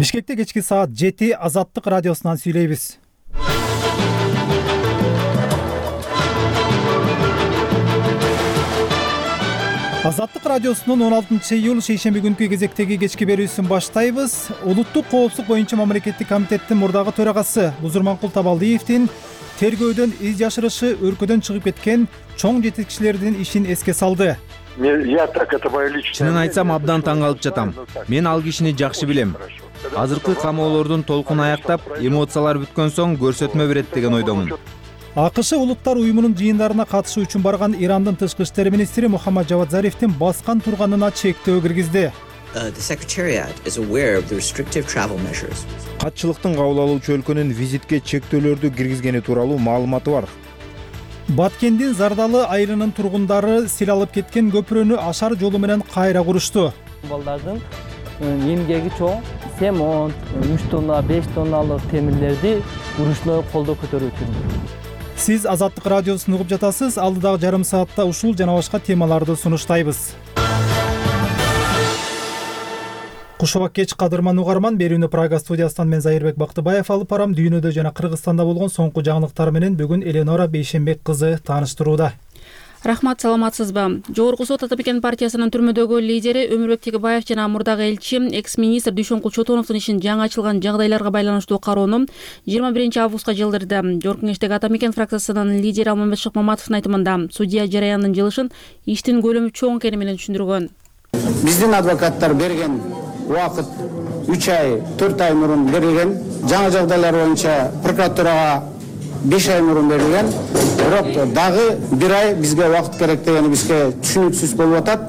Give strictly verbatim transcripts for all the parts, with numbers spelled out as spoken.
Бишкекте кечки саат жети Азаттык радиосунан сүйлөйбүз. Азаттык радиосунун он алтынчы июль шейшемби күнкү кезектеги кечки берүүсүн баштайбыз. Улуттук коопсуздук боюнча мамлекеттик комитеттин мурдагы төрагасы Бузурманкул Табалдиевдин тергөөдөн из жашырышы өлкөдөн чыгып кеткен чоң жетекчилердин ишин эске салды. Чынын айтсам, абдан таң калып жатам. Мен ал кишини жакшы билем. Азыркы камоолордун толкуну аяктап, эмоциялар бүткөн соң көрсөтмө берет деген ойдомун. АКШ улуттар уюмунун жыйындарына катышуу үчүн барган Ирандын тышкы иштер министри Мухаммад Жавад Зарифтин баскан турганына чектөө киргизди. Катчылыктын кабыл алуучу өлкөнүн визитке чектөөлөрдү киргизгени тууралуу маалыматы бар. Баткендин Зардалы айылынын тургундары сил алып кеткен көпүрөнү ашар жолу менен кайра курушту. Балдардын эмгеги чоң, семонт, үч тонна, беш тонналык темирлерди урушной колдо көтөрүү үчүн. Сиз Азаттык радиосун угуп жатасыз. Алдыдагы жарым саатта ушул жана башка темаларды сунуштайбыз. Кушубак кеч кадырман угарман, берүүнү Прага студиясынан мен Зайырбек Бактыбаев алып барам. Дүйнөдө жана Кыргызстанда болгон соңку жаңылыктар менен бүгүн Эленора Бейшенбек кызы тааныштырууда. Рахмат, саламатсызбы? Жогорку сот Атамекен партиясынын түрмөдөгү лидери Өмүрбек Тегебаев жана мурдагы элчи, экс-министр Дүйшөнкул Чотоновдун ишин жаңы ачылган жагдайларга байланыштуу кароону жыйырма биринчи августка жылдырды. Жогорку кеңештеги Атамекен фракциясынын лидери Алмамбет Шыкмаматовдун айтымында, судья жарыяндын жылышын иштин көлөмү чоң экени менен түшүндүргөн. Биздин адвокаттар берген убакыт үч ай, төрт ай мурун берилген. Жаңы жагдайлар боюнча прокуратурага беш ай мурун берилген. Бирок дагы бир ай бизге убакыт керек дегени бизге түшүнүксүз болуп атат.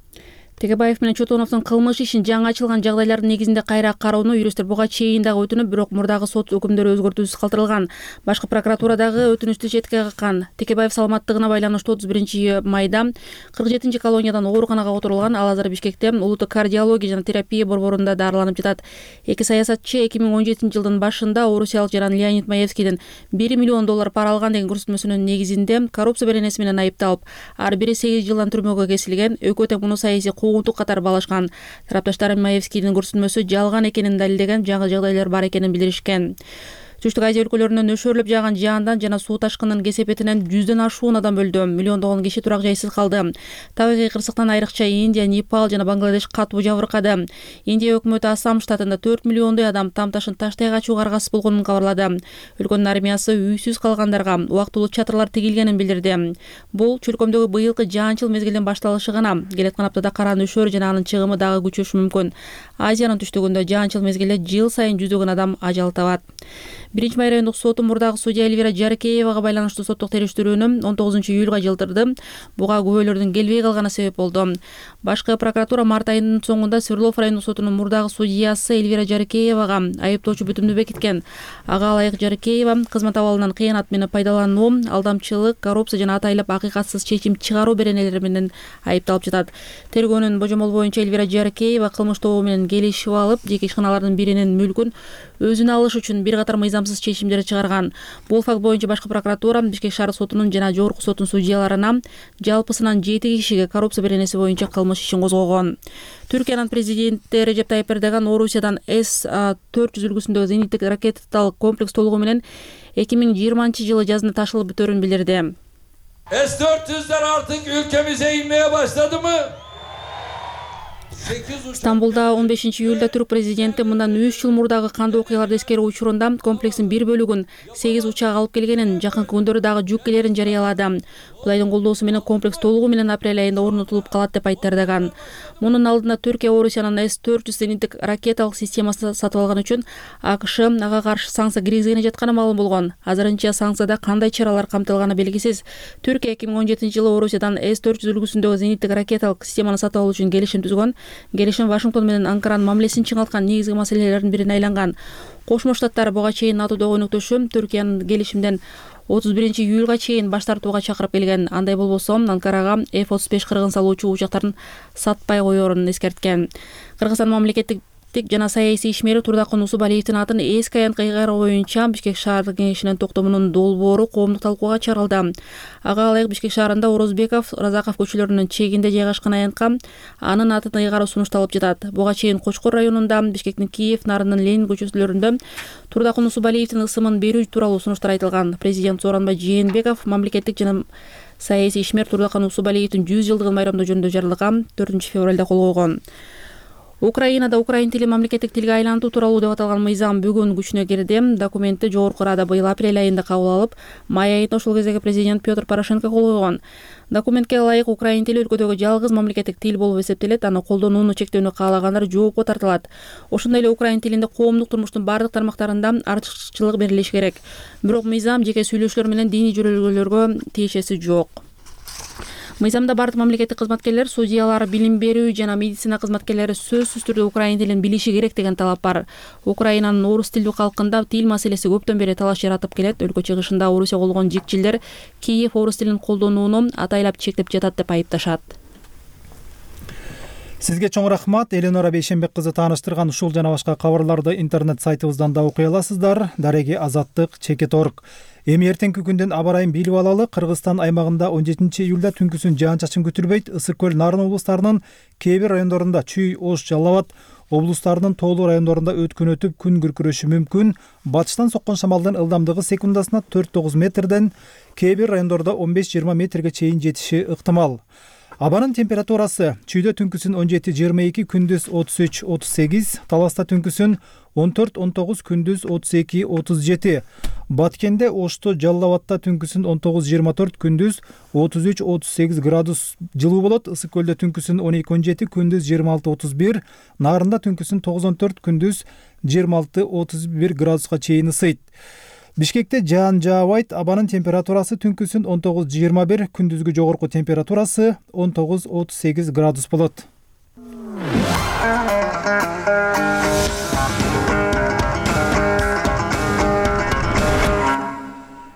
Тегебаев менен Чотоновдун кылмыш ишин жаңы ачылган жагдайлардын негизинде кайра кароону юристтер буга чейин дагы өтүнүп, бирок мурдагы сот өкүмдөрү өзгөртүүсүз калтырылган. Башкы прокуратура дагы өтүнүштү четке каккан. Тегебаев саламаттыгына байланыштуу отуз биринчи майда кырк жетинчи колониядан ооруканага отурулган. Ал азыр Бишкекте улуттук кардиология жана терапия борборунда дарыланып жатат. Эки саясатчы эки миң он жетинчи жылдын башында орусиялык жаран Леонид Маевскийден бир миллион доллар пара алган деген көрсөтмөсүнүн негизинде коррупция беренеси менен айыпталып, ар бири сегиз жылдан түрмөгө кесилген. Экөө тең муну саясий куугунтук катары баалашкан. Тарапташтар Маевскийдин көрсөтмөсү жалган экенин далилдеген, жаңы жагдайлар бар экенин билдиришкен. Түштүк Азия өлкөлөрүнөн нөшөрлөп жааган жаандан жана суу ташкынынын кесепетинен жүздөн ашуун адам өлдү. Миллиондогон киши турак жайсыз калды. Табигый кырсыктан айрыкча Индия, Непал жана Бангладеш катуу жабыркады. Индия өкмөтү Ассам штатында төрт миллиондой адам там-ташын таштай качууга аргасыз болгонун кабарлады. Өлкөнүн армиясы үйсүз калгандарга убактылуу чатырлар тигилгенин билдирди. Бул чөлкөмдөгү быйылкы жаанчыл мезгилдин башталышы гана. Келаткан аптада кара нөшөр жана анын чыгымы дагы күчөшү мүмкүн. Азиянын түштүгүндө жаанчыл мезгилде жыл сайын жүздөгөн адам ажал табат. Биринчи май райондук соту мурдагы судья Эльвира Жарыкеевага байланыштуу соттук териштирүүнү он тогузунчу июлга жылдырды. Буга күбөлөрдүн келбей калганы себеп болду. Башкы прокуратура март айынын соңунда Свердлов райондук сотунун мурдагы судьясы Эльвира Жарыкеевага айыптоочу бүтүмдү бекиткен. Ага ылайык Жарыкеева кызмат абалынан кыянат менен пайдалануу, алдамчылык, коррупция жана атайлап акыйкатсыз чечим чыгаруу беренелери менен айыпталып жатат. Тергөөнүн божомолу боюнча Эльвира Жарыкеева кылмыш тобу менен келишип алып, жеке ишканалардын биринин мүлкүн өзүнө алыш үчүн бир катар мыйзамсыз чечимдер чыгарган. Бул факт боюнча башкы прокуратура Бишкек шаар сотунун жана жогорку соттун судьяларына жалпысынан жети кишиге коррупция беренеси боюнча кылмыш ишин козгогон. Түркиянын президенти Режеп Тайып Эрдоган Орусиядан эс төрт жүз үлгүсүндөгү зениттик ракеталык комплекс толугу менен эки миң жыйырманчы жылы жазында ташылып бүтөөрүн билдирди. эс төрт жүздөр артык ülkemize inmeye başladı mı? Стамбулда он бешинчи июлда түрк президенти мындан үч жыл мурдагы кандуу окуяларды эскерүү учурунда комплекстин бир бөлүгүн сегиз учак алып келгенин, жакынкы күндөрү дагы жүк келерин жарыялады. Кудайдын колдоосу менен комплекс толугу менен апрель айында орнотулуп калат деп айтты Эрдоган. Мунун алдында Түркия Орусиянын эс төрт жүз зениттик ракеталык системасын сатып алган үчүн АКШ ага каршы санкция киргизгени жатканы маалым болгон. Азырынча санкцияда кандай чаралар камтылганы белгисиз. Түркия эки миң он жетинчи жылы Орусиядан эс төрт жүз үлгүсүндөгү зениттик ракеталык системаны сатып алуу үчүн келишим түзгөн. Келишим Вашингтон менен Анкаранын мамилесин чыңалткан негизги маселелердин бирине айланган. Кошмо Штаттар буга чейин натуудагы өнөктөшү Түркиянын келишимден отуз биринчи июлга чейин баш тартууга чакырып келген. Андай болбосо Анкарага эф отуз беш кыргын салуучу учактарын сатпай коерун эскерткен. Кыргызстан мамлекеттик мамлекеттик жана саясий ишмери Турдакын Усубалиевдин атын эски аянтка ыйгаруу боюнча Бишкек шаардык кеңешинин токтомунун долбоору коомдук талкууга чыгарылды. Ага ылайык Бишкек шаарында Орозбеков, Разаков көчөлөрүнүн чегинде жайгашкан аянтка анын атын ыйгаруу сунушталып жатат. Буга чейин Кочкор районунда, Бишкектин Киев, Нарындын Ленин көчөлөрүндө Турдакын Усубалиевдин ысымын берүү тууралуу сунуштар айтылган. Президент Сооронбай Жээнбеков мамлекеттик жана саясий ишмер Турдакын Усубалиевдин жүз жылдыгын байрамдоо жөнүндө жарыялган төртүнчү февралда кол койгон. Украинада украин тили мамлекеттик тилге айлантуу тууралуу деп аталган мыйзам бүгүн күчүнө кирди. Документти Жогорку Рада быйыл апрель айында кабыл алып, май айында ошол кездеги президент Петр Порошенко кол койгон. Документке ылайык украин тили өлкөдөгү жалгыз мамлекеттик тил болуп эсептелет, аны колдонууну чектөөнү каалагандар жоопко тартылат. Ошондой эле украин тилинде коомдук турмуштун бардык тармактарында артыкчылык берилиши керек. Бирок мыйзам жеке сүйлөшүүлөр менен диний жөрөлгөлөргө тиешеси жок. Мыйзамда бардык мамлекеттик кызматкерлер, судьялар, билим берүү жана медицина кызматкерлери сөзсүз түрдө украин тилин билиши керек деген талап бар. Украинанын орус тилдүү калкында тил маселеси көптөн бери талаш жаратып келет. Өлкө чыгышында Орусия болгон жикчилдер Киев орус тилин колдонууну атайлап чектеп жатат деп айыпташат. Сизге чоң рахмат. Эленора Бейшенбек кызы тааныштырган ушул жана башка кабарларды интернет сайтыбыздан да окуй аласыздар. Дареги Азаттык чекит точка орг. Эми эртеңки күндүн аба ырайын билип алалы. Кыргызстан аймагында он жетинчи июлда түнкүсүн жаан-чачын күтүлбөйт. Ысык көл, Нарын облустарынын кээ бир райондорунда Чүй, Ош, Жалал Абад облустарынын тоолуу райондорунда өткөн өтүп күн күркүрөшү мүмкүн. Батыштан соккон шамалдын ылдамдыгы секундасына төрт тогуз метрден, кээ бир райондордо он беш жыйырма метрге чейин жетиши ыктымал. Абанын температурасы: Чүйдө түнкүсүн он жети жыйырма эки, күндүз отуз үч отуз сегиз, Таласта түнкүсүн он төрт он тогуз, күндүз отуз эки отуз жети. Баткенде, Ошто, Жалал Абадта түнкүсүн он тогуз жыйырма төрт, күндүз отуз үч отуз сегиз градус жылуу болот. Ысык көлдө түнкүсүн он эки он жети, күндүз жыйырма алты отуз бир, Нарында түнкүсүн тогуз он төрт, күндүз жыйырма алты отуз бир градуска чейин ысыйт. Бишкекте жаан жаабайт. Абанын температурасы түнкүсүн он тогуз жыйырма бир, күндүзгү жогорку температурасы он тогуз отуз сегиз градус болот.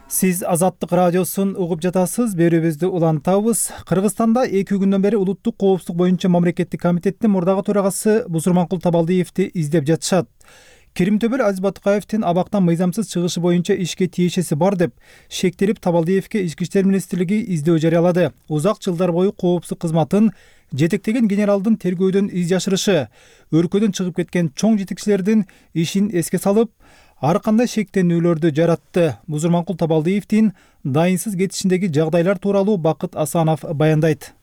Сиз Азаттык радиосун угуп жатасыз. Берүүбүздү улантабыз. Кыргызстанда эки күндөн бери улуттук коопсуздук боюнча мамлекеттик комитеттин мурдагы төрагасы Бусурманкул Табалдиевди издеп жатышат. Керимтөбөл Азиз Батыкаевдин абактан мыйзамсыз чыгышы боюнча ишке тиешеси бар деп шектелип, Табалдиевге Ички иштер министрлиги издөө жарыялады. Узак жылдар бою коопсуздук кызматын жетектеген генералдын тергөөдөн из жашырышы, өлкөдөн чыгып кеткен чоң жетекчилердин ишин эске салып, ар кандай шектенүүлөрдү жаратты. Бузурманкул Табалдиевдин дайынсыз кетишиндеги жагдайлар тууралуу Бакыт Асанов баяндайт.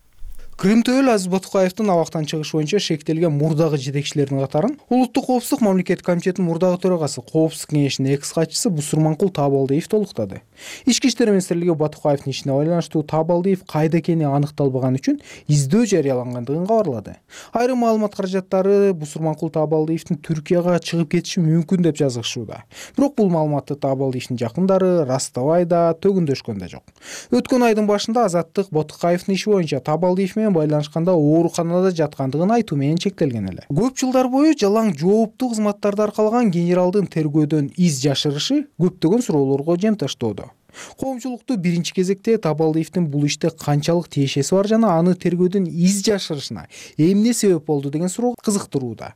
Керимтөбөл Азиз Батыкаевдин абактан чыгыш боюнча шектелген мурдагы жетекчилердин катарын Улуттук коопсуздук мамлекеттик комитетинин мурдагы төрагасы, Коопсуздук кеңешинин экс катчысы Бусурманкул Табалдиев толуктады. Ички иштер министрлиги Батыкаевдин ишине байланыштуу Табалдиев кайда экени аныкталбаган үчүн издөө жарыялангандыгын кабарлады. Айрым маалымат каражаттары Бусурманкул Табалдиевдин Түркияга чыгып кетиши мүмкүн деп жазышууда. Бирок бул маалыматты Табалдиевдин жакындары растабай да, төгүндөшкөн да жок. Өткөн айдын башында Азаттык Батыкаевдин иши боюнча Табалдиев байланышканда ооруканада жаткандыгын айтуу менен чектелген эле. Көп жылдар бою жалаң жооптуу кызматтарды аркалаган генералдын тергөөдөн из жашырышы көптөгөн суроолорго жем таштоодо. Коомчулукту биринчи кезекте Табалдиевдин бул иште канчалык тиешеси бар жана аны тергөөдөн из жашырышына эмне себеп болду деген суроо кызыктырууда.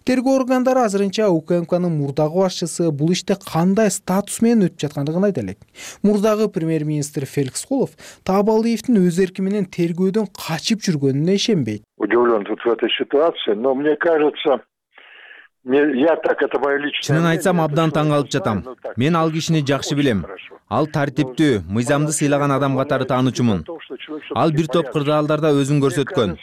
Тергөө органдары азырынча УКМКнын мурдагы башчысы бул иште кандай статус менен өтүп жаткандыгын айта элек. Мурдагы премьер-министр Феликс Кулов Табалдиевдин өз эрки менен тергөөдөн качып жүргөнүнө ишенбейт. Удивлен тут в этой ситуации, но мне кажется, я так это мое личное. Чынын айтсам, абдан таң калып жатам. Мен ал кишини жакшы билем. Ал тартиптүү, мыйзамды сыйлаган адам катары таануучумун. Ал бир топ кырдаалдарда өзүн көрсөткөн.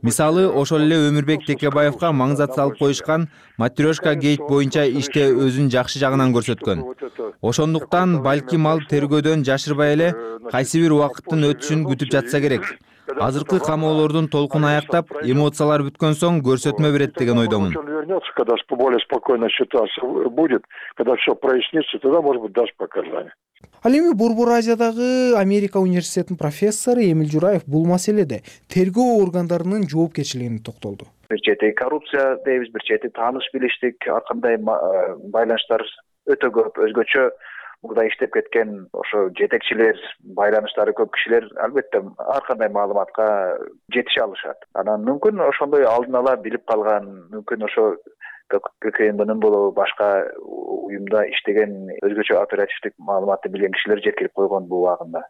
Мисалы, ошол эле Өмүрбек Текебаевга маңзат салып коюшкан Матрешка гейт боюнча иште өзүн жакшы жагынан көрсөткөн. Ошондуктан балким ал тергөөдөн жашырбай эле кайсы бир убакыттын өтүшүн күтүп жатса керек. Азыркы камоолордун толкун аяктап, эмоциялар бүткөн соң көрсөтмө берет деген ойдомун. Когда более спокойная ситуация будет, когда все прояснится, тогда, может быть, даст показания. Ал эми Борбор Азиядагы Америка университетинин профессору Эмил Жураев бул маселеде тергөө органдарынын жоопкерчилигине токтолду. Бир чети коррупция дейбиз, бир чети тааныш билиштик, ар кандай байланыштар өтө көп, өзгөчө мурда иштеп кеткен ошо жетекчилер, байланыштары көп кишилер албетте ар кандай маалыматка жетише алышат. Анан мүмкүн ошондой алдын ала билип калган, мүмкүн ошо ККМБнын болобу башка уюмда иштеген өзгөчө оперативдик маалыматты билген кишилер жеткирип койгон бул убагында.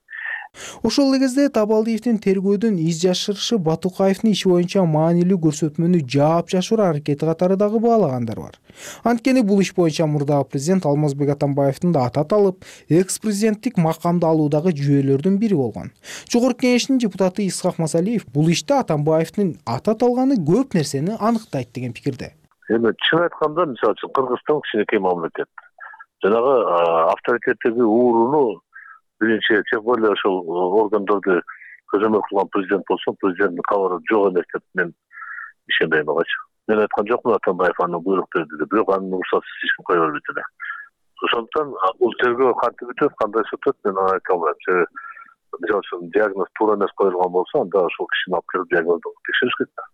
Ошол эле кезде Табалдиевдин тергөөдөн из жашырышы Батукаевдин иши боюнча маанилүү көрсөтмөнү жаап жашыруу аракети катары дагы баалагандар бар. Анткени бул иш боюнча мурдагы президент Алмазбек Атамбаевдин да аты аталып, экс-президенттик макамды алуудагы жүйөлөрдүн бири болгон. Жогорку Кеңештин депутаты Исхак Масалиев бул иште Атамбаевдин аты аталганы көп нерсени аныктайт деген пикирде. Эми чын айтканда, мисалы үчүн Кыргызстан кичинекей мамлекет. Жанагы авторитеттеги ууруну биринчи тем более ошол органдарды көзөмөл кылган президент болсо, президенттин кабары жок эмес деп мен ишенбейм агачы. Мен айткан жокмун Атамбаев аны буйрук берди деп, бирок анын уруксатсыз эч ким кое бербейт эле. Ошондуктан бул тергөө кантип өтөт, кандай өтөт, мен аны айта албайм. Себеби мисалы үчүн диагноз туура эмес коюлган болсо, анда ошол кишини алып келип диагноздоп текшериш керек да.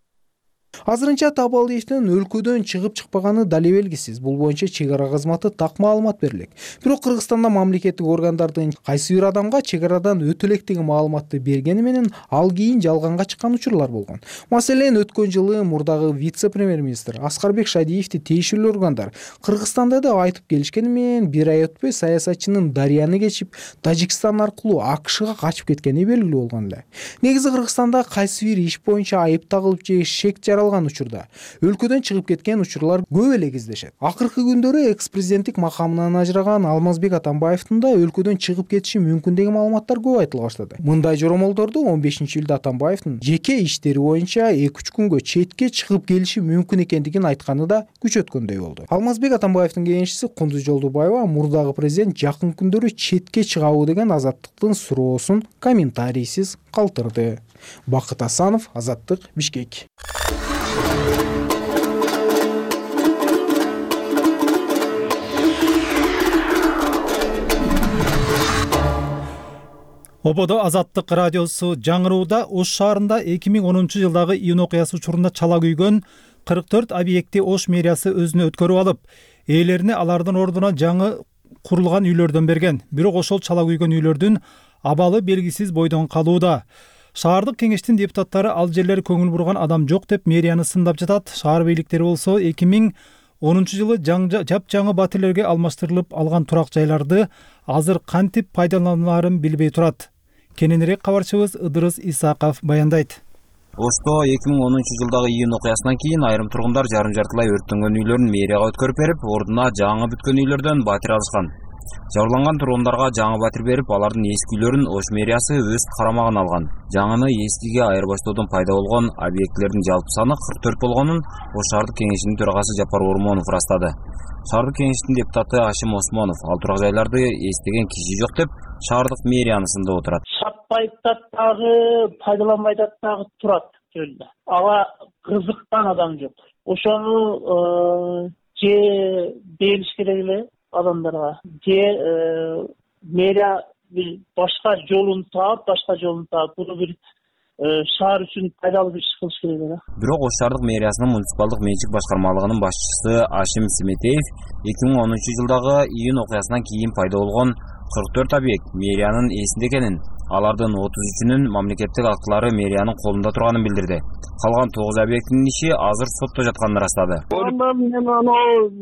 Азырынча Табалдиевдин өлкөдөн чыгып чыкпаганы дале белгисиз. Бул боюнча чек ара кызматы так маалымат берилек. Бирок Кыргызстанда мамлекеттик органдардын кайсы бир адамга чек арадан өтө элек деген маалыматты бергени менен ал кийин жалганга чыккан учурлар болгон. Маселен, өткөн жылы мурдагы вице-премьер-министр Аскарбек Шадиевди тиешелүү органдар Кыргызстанда деп айтып келишкени менен бир ай өтпөй саясатчынын Дарыяны кечип, Тажикстан аркылуу АКШга качып кеткени белгилүү болгон эле. Негизи Кыргызстанда кайсы бир иш боюнча айып тагылып же шек жаралган учурда өлкөдөн чыгып кеткен учурлар көп эле кездешет. Акыркы күндөрү экс-президенттик макамынан ажыраган Алмазбек Атамбаевдин да өлкөдөн чыгып кетиши мүмкүн деген маалыматтар көп айтыла баштады. Мындай жоромолдорду он бешинчи июлда Атамбаевдин жеке иштери боюнча эки үч күнгө четке чыгып келиши мүмкүн экендигин айтканы да күчөткөндөй болду. Алмазбек Атамбаевдин кеңешчиси Кундуз Жолдубаева мурдагы президент жакын күндөрү четке чыгабы деген Азаттыктын суроосун комментарийсиз калтырды. Бакыт Асанов, Азаттык, Бишкек. Ободо Азаттык радиосу жаңырууда Ош шаарында эки миң онунчу жылдагы июнь окуясы учурунда чала күйгөн кырк төрт объектти Ош мэриясы өзүнө өткөрүп алып, ээлерине алардын ордуна жаңы курулган үйлөрдөн берген. Бирок ошол чала күйгөн үйлөрдүн абалы белгисиз бойдон калууда. Шаардык кеңештин депутаттары ал жерлер көңүл бурган адам жок деп мэрияны сындап жатат. Шаар бийликтери болсо эки миң онунчу жылы жапжаңы батирлерге алмаштырылып алган турак жайларды азыр кантип пайдалануларын билбей турат. Кененирээк кабарчыбыз Ыдырыс Исаков баяндайт. Ошто эки миң онунчу жылдагы июнь окуясынан кийин айрым тургундар жарым жартылай өрттөнгөн үйлөрүн мэрияга өткөрүп берип, ордуна жаңы бүткөн үйлөрдөн батир алышкан. Жабырланган тургундарга жаңы батир берип, алардын эски үйлөрүн Ош мэриясы өз карамагына алган. Жаңыны эскиге айырбаштоодон пайда болгон объектилердин жалпы саны кырк төрт болгонун Ош шаардык кеңешинин төрагасы Жапар Ормонов ырастады. Шаардык кеңештин депутаты Ашим Осмонов ал турак жайларды эстеген киши жок деп шаардык мэрияны сындап отурат. Сатпайт дагы, пайдаланбайт дагы турат жөнүндө. Ага кызыккан адам жок. Ошону же бериш керек эле адамдарга, же мэрия бир башка жолун таап, башка жолун таап, буну бир шаар үчүн пайдалуу иш кылыш керек эле. Бирок Ош шаардык мэриясынын муниципалдык менчик башкармалыгынын башчысы Ашим Сметеев эки миң онунчу жылдагы июнь окуясынан кийин пайда болгон кырк төрт объект мэриянын эсинде экенин, алардын отуз үчүнүн мамлекеттик актылары мэриянын колунда турганын билдирди. Калган тогуз объектинин иши азыр сотто жатканын ырастады. Мен аны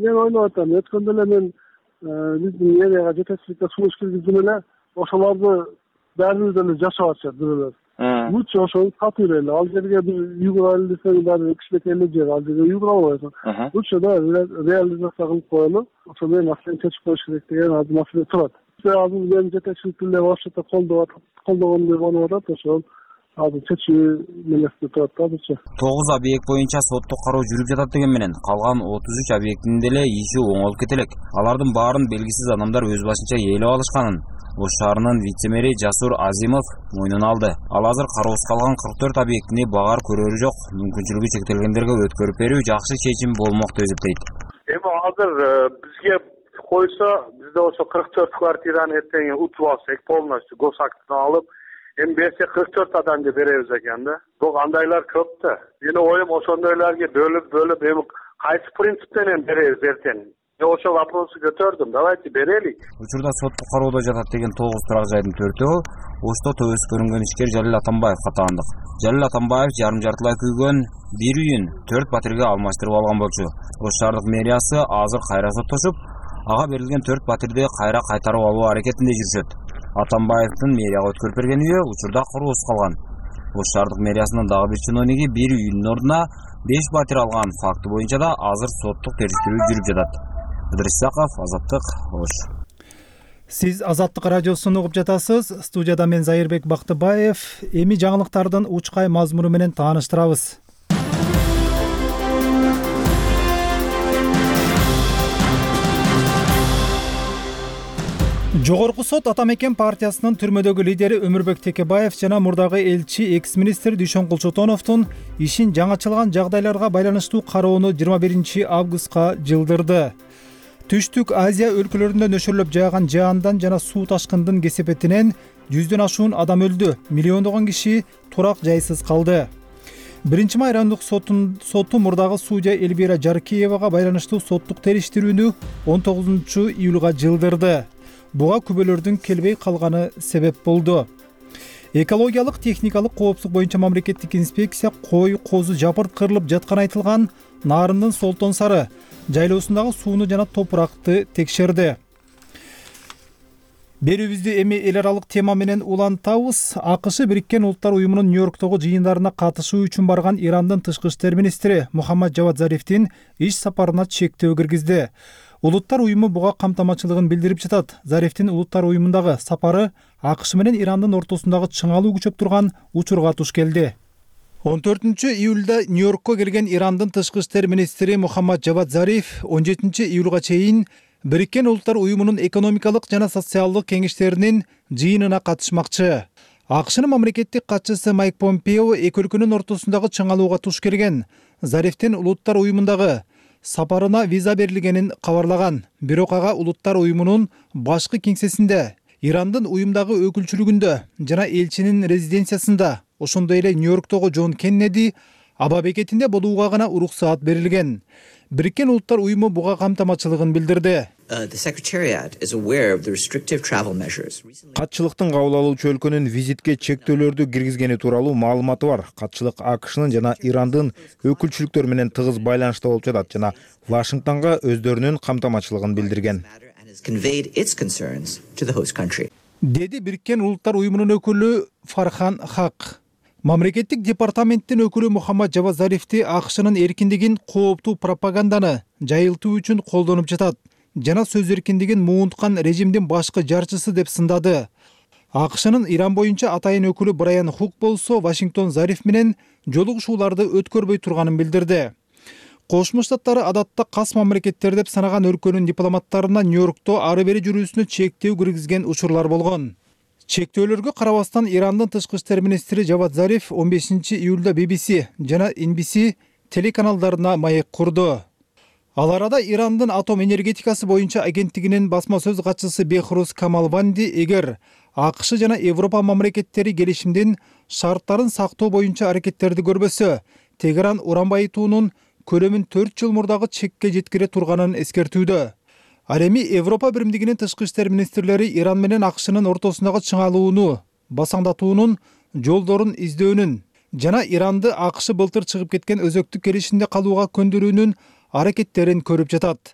мен ойлоп атам, өткөндө эле мен биздин мэрияга жетекчиликке сунуш киргиздим эле, ошолорду баарыбыз эле жашап атышат бирөөлөр. Лучше ошону сатып эле, ал жерге бир үй курайлы десең дагы кичинекей жер, ал жерге үй кура албайсың. Лучше да реализация кылып коелу, ошол менен маселени чечип коюш керек деген азыр маселе турат. Азыр мен жетекчиликти эле башта колдоп колдогондой болуп атат, ошол азыр чечүү мелесте турат да азырча. тогуз объект боюнча соттук кароо жүрүп жатат деген менен калган отуз үч объектинин деле иши оңолуп кете элек. Алардын баарын белгисиз адамдар өз башынча ээлеп алышканын Ош шаарынын вице-мэри Жасур Азимов мойнуна алды. Ал азыр кароосуз калган кырк төрт объектини багаар көрөрү жок, мүмкүнчүлүгү чектелгендерге өткөрүп берүү жакшы чечим болмок деп эсептейт. Эми азыр бизге койсо, бизде ошо кырк төрт квартираны эртең утуп алсак, полностью госактын алып, эми берсе кырк төрт адамга беребиз экен да. Бирок андайлар көп да. Менин оюм ошондойлорго бөлүп бөлүп эми кайсы принцип менен беребиз эртең? ошол вопросу көтөрдүм. Давайте берелик. Учурда соттук кароодо жатат деген тогуз турак жайдын төртөө Ошто төбөс көрүнгөн ишкер Жалил Атамбаевга таандык. Жалил Атамбаев жарым жартылай күйгөн бир үйүн төрт батирге алмаштырып алган болчу. Ош шаардык мэриясы азыр кайра соттошуп, ага берилген төрт батирди кайра кайтарып алуу аракетинде жүрүшөт. Атамбаевдин мэрияга өткөрүп берген үйү учурда куруусуз калган. Ош шаардык мэриясынын дагы бир чиновниги бир үйүнүн ордуна беш батир алган факты боюнча да азыр соттук териштирүү жүрүп жатат. Ыдырыс Исаков, Азаттык, Ош. Сиз Азаттык радиосун угуп жатасыз. Студияда мен Зайырбек Бактыбаев. Эми жаңылыктардын учкай мазмуну менен тааныштырабыз. Жогорку сот Ата Мекен партиясынын түрмөдөгү лидери Өмүрбек Текебаев жана мурдагы элчи экс-министр Дүйшөнкул Чотоновдун ишин жаңачылган жагдайларга байланыштуу кароону жыйырма биринчи августка жылдырды. Түштүк Азия өлкөлөрүндө нөшөрлөп жааган жаандан жана суу ташкындын кесепетинен жүздөн ашуун адам өлдү, миллиондогон киши турак жайсыз калды. Биринчи май райондук соту мурдагы судья Эльвира Жаркеевага байланыштуу соттук териштирүүнү он тогузунчу июлга жылдырды. Буга күбөлөрдүн келбей калганы себеп болду. Экологиялык техникалык коопсуздук боюнча мамлекеттик инспекция кой, козу жапырт кырылып жатканы айтылган Нарындын Солтон Сары жайлоосундагы сууну жана топуракты текшерди. Берүүбүздү эми эл аралык тема менен улантабыз. АКШ Бириккен Улуттар уюмунун Нью-Йорктогу жыйындарына катышуу үчүн барган Ирандын тышкы иштер министри Мухаммад Жавад Зарифтин иш сапарына чектөө киргизди. Улуттар уюму буга камтамачылыгын билдирип жатат. Зарифтин Улуттар уюмундагы сапары АКШ менен Ирандын ортосундагы чыңалуу күчөп турган учурга туш келди. он төртүнчү июлда Нью-Йоркко келген Ирандын тышкы иштер министри Мухаммад Жавад Зариф он жетинчи июлга чейин Бириккен Улуттар уюмунун экономикалык жана социалдык кеңештеринин жыйынына катышмакчы. АКШнын мамлекеттик катчысы Майк Помпео эки өлкөнүн ортосундагы чыңалууга туш келген. Зарифтин Улуттар уюмундагы сапарына виза берилгенин кабарлаган. Бирок ага Улуттар уюмунун башкы кеңсесинде, Ирандын уюмдагы өкүлчүлүгүндө жана элчинин резиденциясында, ошондой эле Нью-Йорктогу Джон Кеннеди аба бекетинде болууга гана уруксаат берилген. Бириккен Улуттар уюму буга камтамачылыгын билдирди. Катчылыктын кабыл алуучу өлкөнүн визитке чектөөлөрдү киргизгени тууралуу маалыматы бар. Катчылык АКШнын жана Ирандын өкүлчүлүктөрү менен тыгыз байланышта болуп жатат жана Вашингтонго өздөрүнүн камтамачылыгын билдирген. Деди Бириккен Улуттар уюмунун өкүлү Фархан Хак. Мамлекеттик департаменттин өкүлү Мухаммад Жавад Зарифти АКШнын эркиндигин кооптуу пропаганданы жайылтуу үчүн колдонуп жатат жана сөз эркиндигин муунткан режимдин башкы жарчысы деп сындады. АКШнын Иран боюнча атайын өкүлү Брайан Хук болсо Вашингтон Зариф менен жолугушууларды өткөрбөй турганын билдирди. Кошмо Штаттары адатта кас мамлекеттер деп санаган өлкөнүн дипломаттарына Нью-Йоркто ары бери жүрүүсүнө чектөө киргизген учурлар болгон. Чектөөлөргө карабастан Ирандын тышкы иштер министри Жавад Зариф он бешинчи июлда би би си жана эн би си телеканалдарына маек курду. Ал арада Ирандын атом энергетикасы боюнча агенттигинин басма сөз катчысы Бехрус Камалванди эгер АКШ жана Европа мамлекеттери келишимдин шарттарын сактоо боюнча аракеттерди көрбөсө, Тегеран уран байытуунун көлөмүн төрт жыл мурдагы чекке жеткире турганын эскертүүдө. Ал эми Европа биримдигинин тышкы иштер министрлери Иран менен АКШнын ортосундагы чыңалууну, басаңдатуунун жолдорун издөөнүн жана Иранды АКШ былтыр чыгып кеткен өзөктүк келишимде калууга көндүрүүнүн аракеттерин көрүп жатат.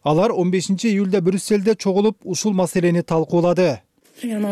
Алар он бешинчи июлда Брюсселде чогулуп ушул маселени талкуулады. Мен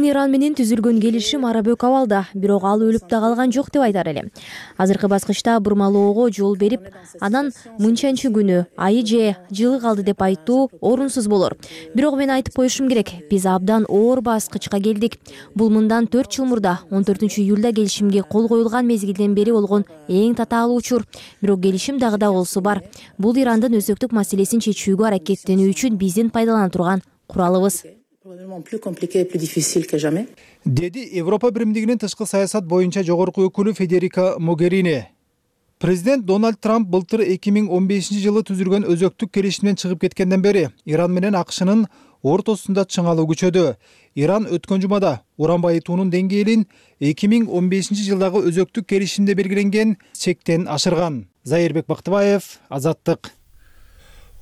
Иран менен түзүлгөн келишим арабөк абалда, бирок ал өлүп да калган жок деп айтар элем. Азыркы баскычта бурмалоого жол берип, анан мынчанчы күнү, айы же жылы калды деп айтуу орунсуз болор. Бирок мен айтып коюшум керек, биз абдан оор баскычка келдик. Бул мындан төрт жыл мурда он төртүнчү июлда келишимге кол коюлган мезгилден бери болгон эң татаалуу учур. Бирок келишим дагы да болсо бар. Бул Ирандын өзөктүк маселесин чечүүгө аракеттенүү үчүн биздин пайдалана турган куралыбыз. Деди Европа биримдигинин тышкы саясат боюнча жогорку өкүлү Федерика Могерини. Президент Дональд Трамп былтыр эки миң он бешинчи жылы түзүлгөн өзөктүк келишимден чыгып кеткенден бери Иран менен АКШнын ортосунда чыңалуу күчөдө. Иран өткөн жумада уран байытуунун деңгээлин эки миң он бешинчи жылдагы өзөктүк келишимде белгиленген чектен ашырган. Зайырбек Бактыбаев, Азаттык.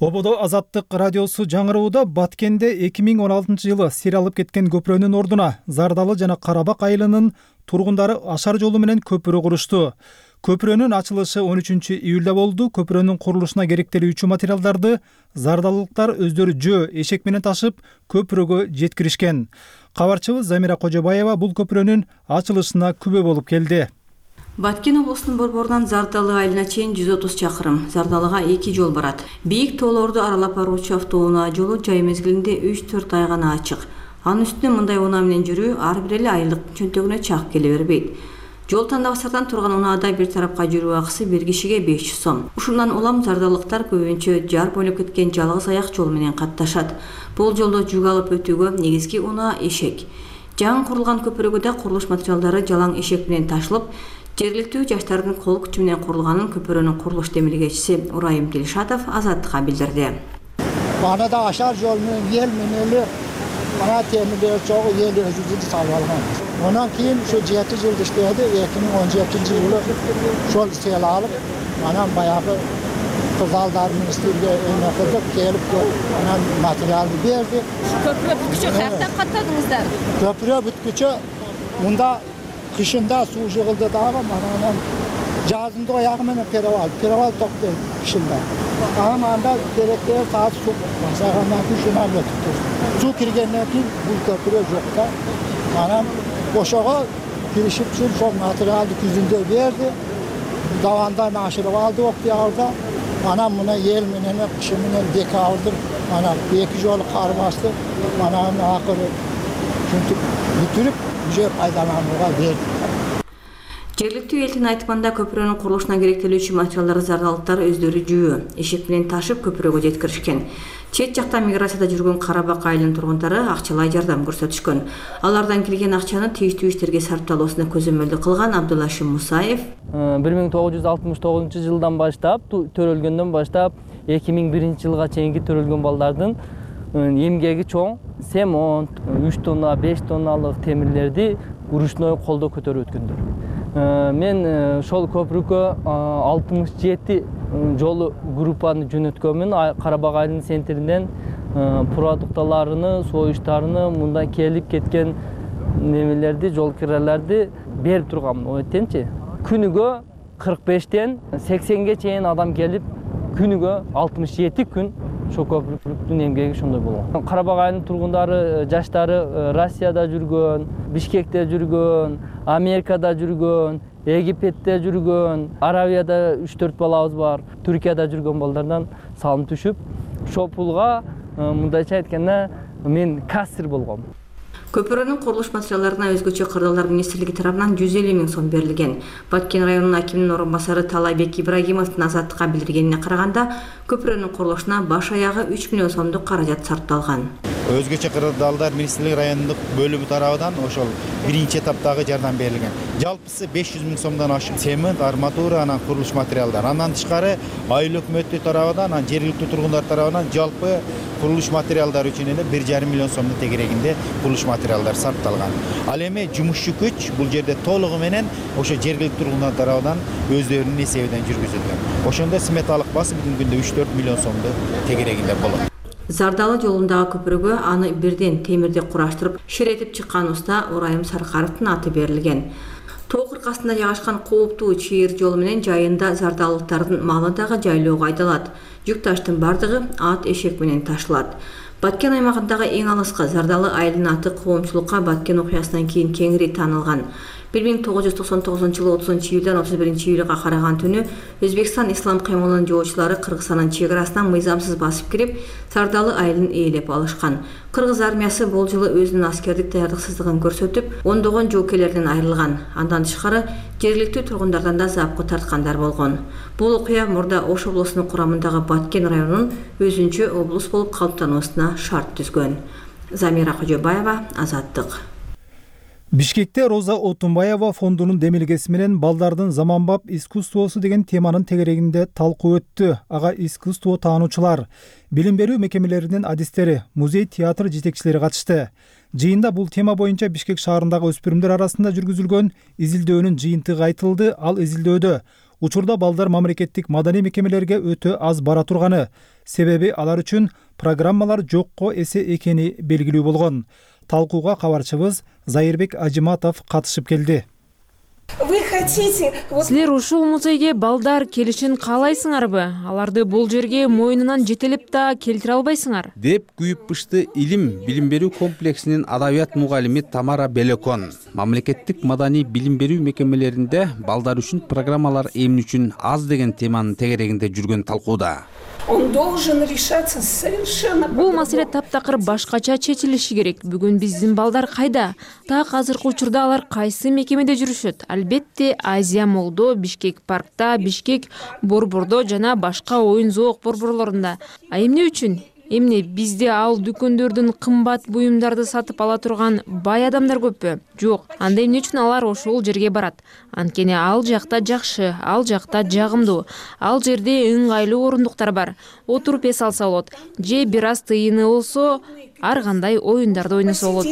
Ободо Азаттык радиосу жаңырууда Баткенде эки миң он алтынчы жылы сир алып кеткен көпүрөнүн ордуна Зардалы жана Карабак айылынын тургундары ашар жолу менен көпүрө курушту. Көпүрөнүн ачылышы он үчүнчү июлда болду. Көпүрөнүн курулушуна керектелүүчү материалдарды зардалылыктар өздөрү жөө, эшек менен ташып көпүрөгө жеткиришкен. Кабарчыбыз Замира Кожобаева бул көпүрөнүн ачылышына күбө болуп келди. Баткен облусунун борборунан Зардалы айылына чейин жүз отуз чакырым. Зардалыга эки жол барат. Бийик тоолорду аралап баруучу автоунаа жолу жай мезгилинде үч төрт ай гана ачык. Анын үстүнө мындай унаа менен жүрүү ар бир эле айылдык чөнтөгүнө чак келе бербейт. Жол тандабастардан турган унаада бир тарапка жүрүү акысы бир кишиге беш жүз сом. Ушундан улам зардалыктар көбүнчө жар бойлоп кеткен жалгыз аяк жол менен катташат. Бул жолдо жүк алып өтүүгө негизги унаа эшек. Жаңы курулган көпүрөгө да курулуш материалдары жалаң эшек менен ташылып, жергиликтүү жаштардын кол күчү менен курулганын көпүрөнүн курулуш демилгечиси Урайым Дилшатов Азаттыкка билдирди. Бана да ашар жол менен ел менен эле ана темирлер чогуу ел өзүбүздү салып алган. Ondan keyin şu жети жыл иштеди, эки миң он жетинчи жылы şol sel alıp, anam bayağı kızaldar ministerge öne kızıp gelip anam materyaldı berdi. Köprü bütküçü kayaktan katladınızlar? Köprü bütküçü bunda kışında su jığıldı dağı anam жазында аяғы менен перевал, перевал токтойт кышында. Анан анда керектүү саат су башагандан кийин шунан өтүп. Су киргенден кийин бул көпүрө жок да. Анан ошого киришип үчүн сол материалды күзүндө берди. Давандан ашырып алды октябрда. Анан мына ел менен кышы менен декабрда анан эки жолу кар басты. Анан акыры ушинтип бүтүрүп уже пайдаланууга берди. Жергиликтүү элдин айтымында көпүрөнүн курулушуна керектелүүчү материалдар зардалыктар өздөрү жүйө, эшек менен ташып көпүрөгө жеткиришкен. Чет жакта миграцияда жүргөн Карабак айылынын тургундары акчалай жардам көрсөтүшкөн. Алардан келген акчаны тийиштүү иштерге сарпталуусуна көзөмөлдү кылган Абдулашим Мусаев бир миң тогуз жүз алтымыш тогузунчу жылдан баштап, төрөлгөндөн баштап эки миң биринчи жылга чейинки төрөлгөн балдардын эмгеги чоң, семонт, үч тонна, беш тонналык темирлерди урушной колдо көтөрүп өткөндөр. Мен ошол көпүргө алтымыш жети жолу группаны жөнөткөнмүн. Карабак айылынын центринен продукталарыны, союштарыны, мында келип кеткен немелерди, жол кирелерди берип турганмын. Ойтенчи, күнүгө кырк бештен сексенге чейин адам келип, күнүгө алтымыш жети күн ошол көпүрдүн эмгеги ошондой болгон. Карабак айылынын тургундары, жаштары Россияда жүргөн, Бишкекте жүргөн, Америкада жүргөн, Египетте жүргөн, Аравияда үч төрт балабыз бар, Түркияда жүргөн балдардан салым түшүп, ошол пулга мындайча айтканда мен кассир болгом. Көпүрөнүн курулуш материалдарына өзгөчө кырдаалдар министрлиги тарабынан жүз элүү миң сом берилген. Баткен районунун акиминин орун басары Талайбек Ибрагимовдун Азаттыкка билдиргенине караганда, көпүрөнүн курулушуна баш аягы үч миллион сомдук каражат сарпталган. Өзгөчө кырдаалдар министрлиги райондук бөлүмү тарабынан ошол биринчи этаптагы жардам берилген. Жалпысы беш жүз миң сомдон ашык цемент, арматура, анан курулуш материалдар. Андан тышкары айыл өкмөтү тарабынан, анан жергиликтүү тургундар тарабынан жалпы курулуш материалдары үчүн эле бир жарым миллион сомдун тегерегинде курулуш материалдар сарпталган. Ал эми жумушчу күч бул жерде толугу менен ошо жергиликтүү тургундар тарабынан өздөрүнүн эсебинен жүргүзүлгөн. Ошондо сметалык басы бүгүнкү күндө үч төрт миллион сомду тегерегинде болот. Зардалы жолундагы көпүрөгө аны бирден темирди кураштырып, ширетип чыккан уста Урайым Саркаровдун аты берилген. Тоо кыркасында жайгашкан кооптуу чыйыр жолу менен жайында зардалыктардын малы дагы жайлоого айдалат. Жүк таштын бардыгы ат эшек менен ташылат. Баткен аймагындагы эң алыскы Зардалы айылынын аты коомчулукка Баткен окуясынан кийин кеңири таанылган. бир миң тогуз жүз токсон тогузунчу жылы отузунчу июлдан отуз биринчи июлга караган түнү Өзбекстан ислам каймылынын жоочулары Кыргызстандын чек арасынан мыйзамсыз басып кирип, Зардалы айылын ээлеп алышкан. Кыргыз армиясы бул жылы өзүнүн аскердик даярдыксыздыгын көрсөтүп, ондогон жоокелерден айрылган. Андан тышкары жергиликтүү тургундардан да запкы тарткандар болгон. Бул окуя мурда Ош облусунун курамындагы Баткен районунун өзүнчө облус болуп калыптануусуна шарт түзгөн. Замира Кожобаева, Азаттык. Бишкекте Роза Отунбаева фондунун демилгеси менен балдардын заманбап искусствосу деген теманын тегерегинде талкуу өттү. Ага искусство таануучулар, билим берүү мекемелеринин адистери, музей, театр жетекчилери катышты. Жыйында бул тема боюнча Бишкек шаарындагы өспүрүмдөр арасында жүргүзүлгөн изилдөөнүн жыйынтыгы айтылды. Ал изилдөөдө учурда балдар мамлекеттик маданий мекемелерге өтө аз бара турганы, себеби алар үчүн программалар жокко эсе экени белгилүү болгон. Талкууга кабарчыбыз Зайырбек Ажиматов катышып келди. Силер ушул музейге балдар келишин каалайсыңарбы? Аларды бул жерге мойнунан жетелеп да келтире албайсыңар? Деп күйүп пышты илим билим берүү комплексинин адабият мугалими Тамара Белекон. Мамлекеттик маданий билим берүү мекемелеринде балдар үчүн программалар эмне үчүн аз деген теманын тегерегинде жүргөн талкууда. Бул маселе таптакыр башкача чечилиши керек. Бүгүн биздин балдар кайда? Так азыркы учурда алар кайсы мекемеде жүрүшөт? Албетте Азия Молдо, Бишкек паркта, Бишкек борбордо жана башка оюн зоок борборлорунда. А эмне үчүн? Эмне бизде ал дүкөндөрдүн кымбат буюмдарды сатып ала турган бай адамдар көппү? Жок. Анда эмне үчүн алар ошол жерге барат? Анткени ал жакта жакшы, ал жакта жагымдуу. Ал жерде ыңгайлуу орундуктар бар. Отуруп эс алса болот. Же бир аз тыйыны болсо, ар кандай оюндарды ойносо болот.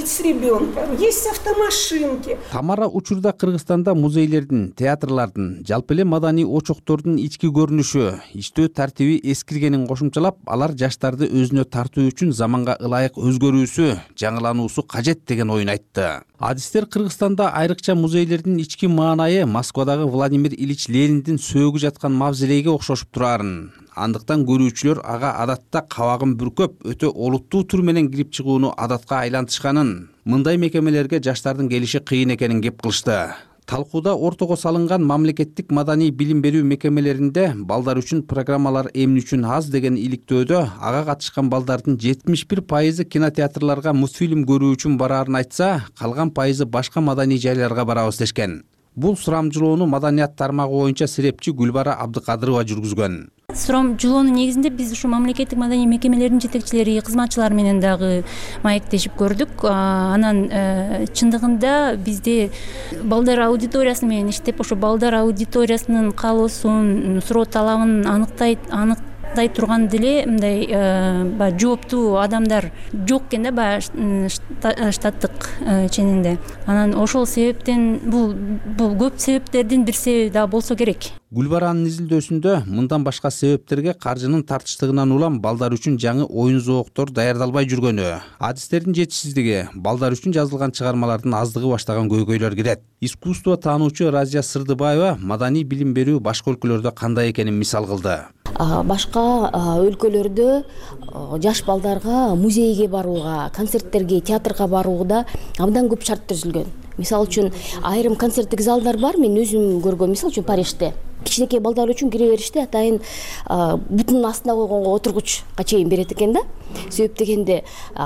Тамара учурда Кыргызстанда музейлердин, театрлардын, жалпы эле маданий очоктордун ички көрүнүшү, иштөө тартиби эскиргенин кошумчалап, алар жаштарды өзүнө тартуу үчүн заманга ылайык өзгөрүүсү, жаңылануусу кажет деген оюн айтты. Адистер Кыргызстанда айрыкча музейлердин ички маанайы Москвадагы Владимир Ильич Лениндин сөөгү жаткан мавзолейге окшошуп турарын. Андыктан көрүүчүлөр ага адатта кабагын бүркөп, өтө олуттуу түр менен кирип чыгууну адатка айлантышканын, мындай мекемелерге жаштардын келиши кыйын экенин кеп кылышты. Талкууда ортого салынган мамлекеттик маданий билим берүү мекемелеринде балдар үчүн программалар эмне үчүн аз деген иликтөөдө ага катышкан балдардын жетимиш бир пайызы кинотеатрларга мультфильм көрүү үчүн бараарын айтса, калган пайызы башка маданий жайларга барабыз дешкен. Бул сурамжылоону маданият тармагы боюнча серепчи Гүлбара Абдыкадырова жүргүзгөн. Сурамжылоонун негизинде биз ушу мамлекеттик маданий мекемелеринин жетекчилери, кызматчылары менен дагы маектешип көрдүк. Анан чындыгында бизде балдар аудиториясы менен иштеп, ошо балдар аудиториясынын каалоосун, суроо талабын аныктайт, анык дай турган деле мындай баягы жооптуу адамдар жок экен да баягы штаттык ченинде. Анан ошол себептен бул бул көп себептердин бир себеби да болсо керек. Гүлбаранын изилдөөсүндө мындан башка себептерге каржынын тартыштыгынан улам балдар үчүн жаңы оюн зооктор даярдалбай жүргөнү, адистердин жетишсиздиги, балдар үчүн жазылган чыгармалардын аздыгы баштаган көйгөйлөр кирет. Искусство таануучу Разия Сырдыбаева маданий билим берүү башка өлкөлөрдө кандай экенин мисал кылды. Башка өлкөлөрдө жаш балдарга музейге барууга, концерттерге, театрга барууда абдан көп шарт түзүлгөн. Мисалы үчүн айрым концерттик залдар бар, мен өзүм көргөм. Мисалы үчүн Парижде кичинекей балдар үчүн кире бериште атайын бутунун астына койгонго отургучка чейин берет экен да. Себеп дегенде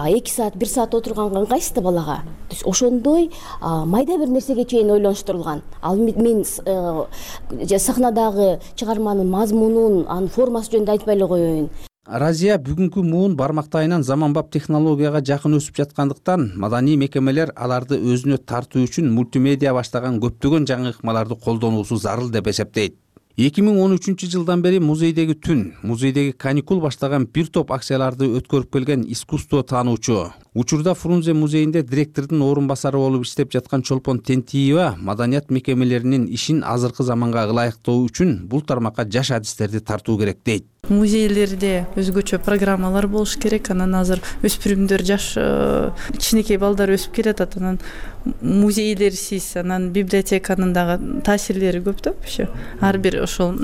эки саат, бир саат отурганга ыңгайсыз да балага. Ошондой майда бир нерсеге чейин ойлонуштурулган. Ал мен сахнадагы чыгарманын мазмунун, анын формасы жөнүндө айтпай эле коеюн. Разия бүгүнкү муун бармактайынан заманбап технологияга жакын өсүп жаткандыктан маданий мекемелер аларды өзүнө тартуу үчүн мультимедиа баштаган көптөгөн жаңы ыкмаларды колдонуусу зарыл деп эсептейт. эки миң он үчүнчү жылдан бери музейдеги түн, музейдеги каникул баштаган бир топ акцияларды өткөрүп келген искусство таануучу, учурда Фрунзе музейинде директордун орун басары болуп иштеп жаткан Чолпон Тентиева маданият мекемелеринин ишин азыркы заманга ылайыктоо үчүн бул тармакка жаш адистерди тартуу керек дейт. Музейлерде өзгөчө программалар болуш керек. Анан азыр өспүрүмдөр, жаш кичинекей балдар өсүп келатат. Анан музейлерсиз, анан библиотеканын дагы таасирлери көп да. Ар бир ошол